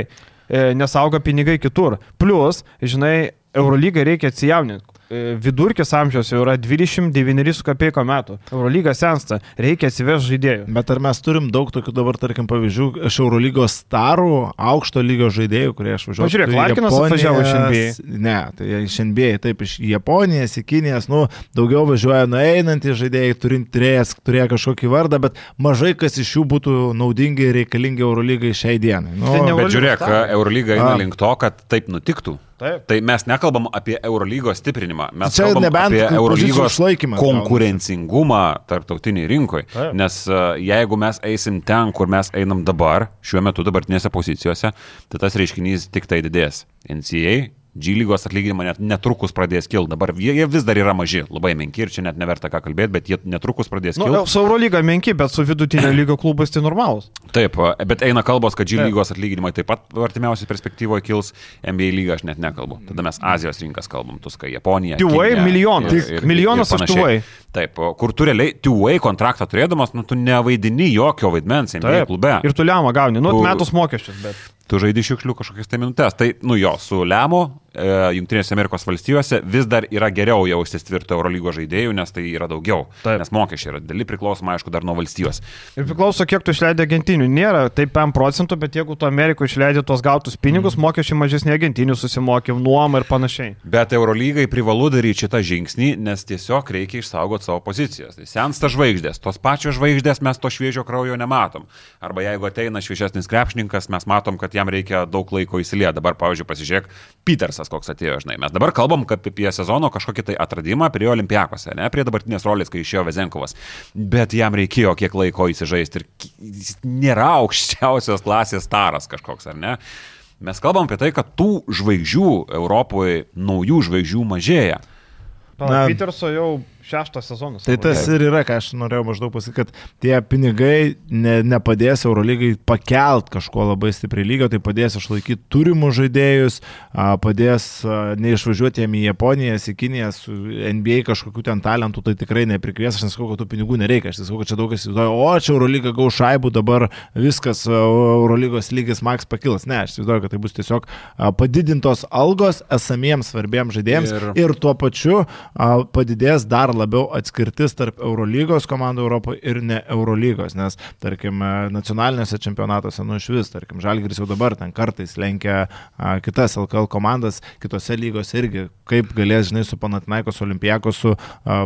nes auga pinigai kitur. Plus, žinai, Eurolygai reikia atsijauninti. vidurkis amžiaus jau yra dvidešimt devyni su kapeiko metų. Eurolyga sensta, reikia atsivežti žaidėjų. Bet ar mes turim daug tokių dabar, tarkim, pavyzdžių iš Eurolygos starų, aukšto lygio žaidėjų, kurie aš važiuoju. Pažiūrėk, Larkinas atvažiavo iš N B A. Ne, tai iš N B A, taip, iš Japonijos, į Kinijas, nu, daugiau važiuoja nueinantys žaidėjai, turintys, turėjo kažkokį vardą, bet mažai kas iš jų būtų naudingi ir reikalingi Eurolygai šiai dienai. Nu, tai bet žiūrėk, Eurolyga eina link to, kad taip nutiktų. Taip. Tai mes nekalbam apie Eurolygos stiprinimą, mes čia kalbam apie Eurolygos konkurencingumą tarptautiniai rinkoje. Taip. Nes uh, jeigu mes eisim ten, kur mes einam dabar, šiuo metu dabartinėse pozicijose, tai tas reiškinys tik tai didės. N C A A, G lygos atlyginimą net netrukus pradės kilti. Dabar jie vis dar yra maži, labai menki ir čia net neverta ką kalbėti, bet jie netrukus pradės kilti. Nu, su Eurolyga menki, bet su vidutinio lygio klubais tai normalus. Taip, bet eina kalbos, kad G lygos atlyginimai taip pat artimiausiai perspektyvoje kils, N B A lygą aš net nekalbu. Tada mes Azijos rinkas kalbam, Tuska, Japonija. Two-way milijonas. Ir, ir, milijonas už two-way. Taip, kur tu realiai two-way kontraktą turėdamas, nu tu nevaidini jokio vaidmens N B A taip, klube. Ir tu lemą gauni, nu tu, metus mokesčius, bet... Tu žaidi šiukšlių kažkokias tai minutės. Tai, nu jo, su lemu e, Junktinėse Amerikos valstijose vis dar yra geriau jaustis tvirto Eurolygos žaidėjų, nes tai yra daugiau. Taip. Nes mokesčiai yra dideli, priklausoma, aišku, dar nuo valstijos. Ir priklauso, kiek tu išleidai agentinių. Nėra taip penkiasdešimt procentų, bet jeigu tu Amerikoje išleidai tuos gautus pinigus, mm. mokesčiai mažesni agentinių susimokė, nuomą ir panašiai. Bet Eurolygai privalu daryti šitą žingsnį, nes tiesiog reikia išsaugoti savo pozicijas. Tai sensta žvaigždės, tos pačios žvaigždės mes to šviežio kraujo nematom. Arba jeigu ateina šviežesnis krepšininkas, mes matom, kad jam reikia daug laiko įsilieti. Dabar, pavyzdžiui, pasižiūrėk, Petersas koks atėjo, žinai. Mes dabar kalbam apie sezono kažkokį tai atradimą prie Olimpiakose, ne prie dabartinės rolės, kai išėjo Vezenkovas. Bet jam reikėjo kiek laiko įsižaisti ir jis nėra aukščiausios klasės staras kažkoks, ar ne? Mes kalbam apie tai, kad tų žvaigždžių Europoje, naujų žvaigždžių mažėja. Na, Peterso jau šeštas sezonas. Tai tas ir yra, ką aš norėjau maždaug pasakyti, kad tie pinigai ne, nepadės Eurolygai pakelt kažko labai stipriai lygio, tai padės išlaikyti turimus žaidėjus, padės neišvažiuoti jiem į Japoniją, į Kiniją, su N B A kažkokių ten talentų, tai tikrai neprikvies, aš nesakau, kad tų pinigų nereikia, aš nesakau, kad čia daug kas įsivaizduoja, o čia Eurolyga gaus šaibų, dabar viskas, Eurolygos lygis maks pakils. Ne, aš įsivaizduoju, kad tai bus tiesiog padidintos algos esamiems svarbiems žaidėjams ir, ir tuo pačiu padidės dar labiau atskirtis tarp Eurolygos komandų Europoje ir ne Eurolygos, nes, tarkim, nacionalinėse čempionatuose, nu iš vis, tarkim, Žalgiris jau dabar ten kartais lenkia a, kitas L K L komandas, kitose lygos irgi, kaip galės, žinai, su Panathinaikos Olimpiakosu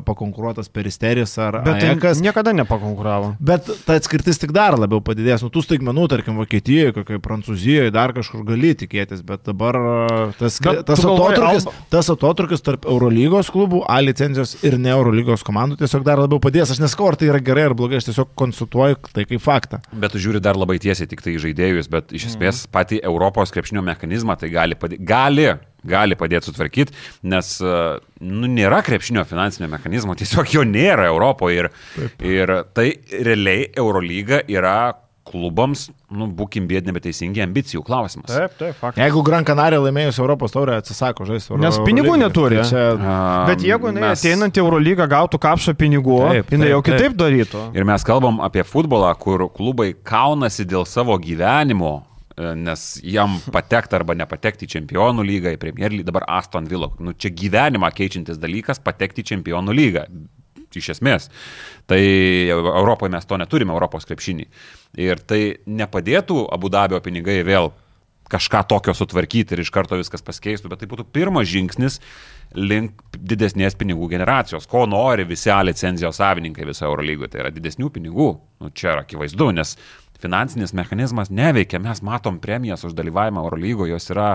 pakonkuruotas Peristeris ar Ajakas. Niekada nepakonkuravo. Bet ta atskirtis tik dar labiau padidės. Nu, tų staigmenų, tarkim, Vokietijoje, kokiai Prancūzijoje, dar kažkur gali tikėtis, bet dabar tas, bet tas, atotrukis, Alba... tas atotrukis tarp Eurolygos klubų, A licenzijos ir ne Eurolygos komandų tiesiog dar labiau padės. Aš neskau, ar tai yra gerai ar blogai, aš tiesiog konsultuoju tai kaip faktą. Bet tu žiūri dar labai tiesiai tik tai žaidėjus, bet iš esmės mm. patį Europos krepšinio mechanizmą tai gali padėti, gali, gali padėti sutvarkyti, nes nu, nėra krepšinio finansinio mechanizmo, tiesiog jo nėra Europoje ir, ir tai realiai Eurolyga yra klubams, nu, būkim biedni, bet teisingi ambicijų klausimas. Taip, taip, faktas. Jeigu Gran Canaria laimėjus Europos taurę atsisako žaisti Eurolygą. Nes pinigų neturi. Tai čia... um, bet jeigu jinai mes... ateinant į Eurolygą gautų kapšą pinigų, taip, jinai taip, jau kitaip taip. darytų. Ir mes kalbam apie futbolą, kur klubai kaunasi dėl savo gyvenimo, nes jam patekti arba nepatekti į Čempionų lygą, į Premier lygą, dabar Aston Villa. Nu, čia gyvenimą keičiantis dalykas patekti į Čempionų lygą. Iš esmės. Tai Europoje mes to neturime, Europos krepšinį. Ir tai nepadėtų Abu Dabio pinigai vėl kažką tokio sutvarkyti ir iš karto viskas pasikeistų, bet tai būtų pirmas žingsnis link didesnės pinigų generacijos. Ko nori visi A licenzijos savininkai viso Eurolygoje, tai yra didesnių pinigų. Nu, čia yra akivaizdu, nes finansinis mechanizmas neveikia. Mes matom premijas už dalyvavimą Eurolygoje, jos yra,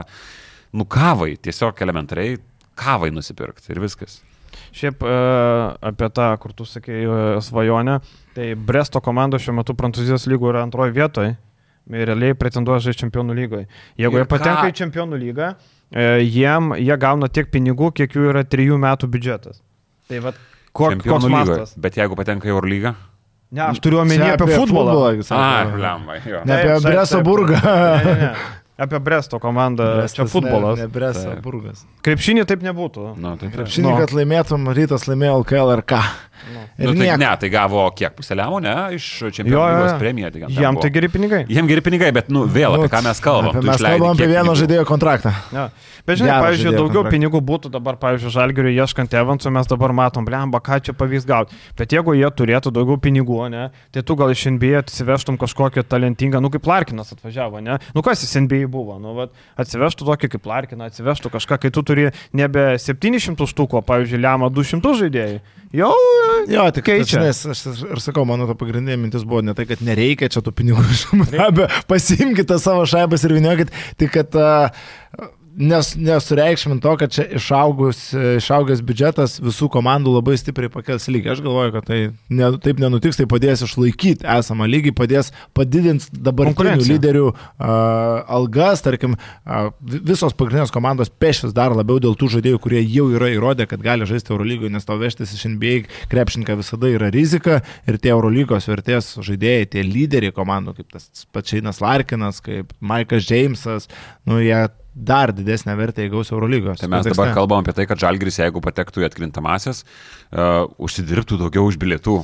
nu, kavai, tiesiog elementariai kavai nusipirkti ir viskas. Šiaip apie tą, kur tu sakei svajonę, tai Bresto komanda šiuo metu Prancūzijos lygų yra antroje vietoje ir realiai pretenduoja žaisti Čempionų lygoje. Jeigu ir jie patenka ką? į Čempionų lygą, jiem, jie gauna tiek pinigų, kiek jų yra trijų metų biudžetas. Tai va, koks mastas. Bet jeigu patenka į Eurolygą? Ne, aš turiu omenyje apie, apie futbolą. futbolą A, lemba, jo. Ne apie Bresto burgą. Ne, ne, ne. Apie Bresto komandą, Brestas čia futbolas. Ne, ne Bresto burgas. Krepšinį taip nebūtų. No, taip, Krepšinį, no. kad laimėtum, Rytas laimėjo L K L ir ką. No. Nu, tai, ne, tai gavo kiek puseliamo, ne, iš Čempionų lygos premiją. Tai jam tai geri pinigai. Jam geri pinigai, bet, nu, vėl apie ką mes kalbam. Apie mes kalbam apie vieno žaidėjo kontraktą. Ja. Bet žinai, pavyzdžiui, daugiau kontraktą. Pinigų būtų dabar, pavyzdžiui, Žalgiriui ieškant Evansų, mes dabar matom, blemba, ką čia pavyks gauti. Bet jeigu jie turėtų daugiau pinigų, ne, tai tu gal iš N B A atsivežtum kažkokią talentingą, nu kaip Larkinas atvažiavo, ne? Nu kas jis N B A buvo? Nu, vat, atsivežtų tokį kaip Larkiną, atsivežtų kažką, kai tu turi nebe septynis šimtus štukų, pavyzdžiui, lemą du šimtus žaidėjų. Jau, jo, tik keičia. Aš, aš, aš sakau, mano to pagrindinė mintis buvo ne tai, kad nereikia čia tų pinigų, pasiimkite savo šaibas ir vyniokit, tik kad uh, nes, nesureikšmint to, kad čia išaugus, išaugęs biudžetas visų komandų labai stipriai pakels lygį. Aš galvoju, kad tai ne, taip nenutiks, tai padės išlaikyti esamą lygį, padės padidinti dabartinių lyderių uh, algas, tarkim, uh, visos pagrindinės komandos pešis dar labiau dėl tų žaidėjų, kurie jau yra įrodę, kad gali žaisti Eurolygoje, nes tau vežtis iš N B A krepšininką visada yra rizika ir tie Eurolygos vertės žaidėjai, tie lyderiai komandų, kaip tas Pačainas Larkinas, kaip Maikas Džeimsas, nu jie dar didesnę vertę įgaus Eurolygos. Tai mes kontekste. Dabar kalbam apie tai, kad Žalgiris, jeigu patektų į atkrintamasis, uh, užsidirbtų daugiau už bilietų.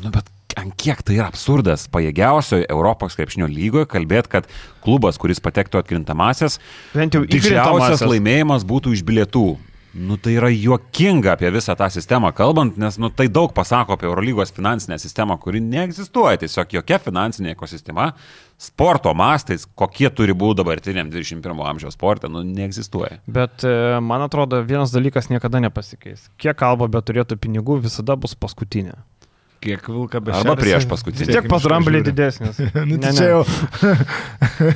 Nu, bet ant kiek tai yra absurdas pajėgiausioje Europos krepšinio lygoje kalbėti, kad klubas, kuris patektų atkrintamasis, didžiausias laimėjimas būtų iš bilietų. Nu, tai yra juokinga apie visą tą sistemą kalbant, nes nu, tai daug pasako apie Eurolygos finansinę sistemą, kuri neegzistuoja. Tiesiog jokia finansinė ekosistema sporto mastais, kokie turi būti dabartiniam dvidešimt pirmo amžiaus sporte, nu, neegzistuoja. Bet man atrodo, vienas dalykas niekada nepasikeis. Kiek kalba, bet turėtų pinigų, visada bus paskutinė. Kiek vilka bešeris. Arba prieš paskutinį. Vis tiek pas Dramblį didesnis. Nu, ne, čia jau.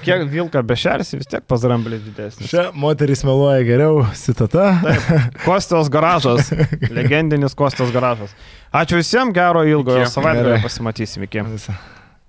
Kiek vilka bešeris, vis tiek pas Dramblį didesnis. Čia moteris meluoja geriau, citata. Taip. Kostos garažas. Legendinis Kostos garažas. Ačiū visiems, gero ilgojo savaitgalio, pasimatysim iki.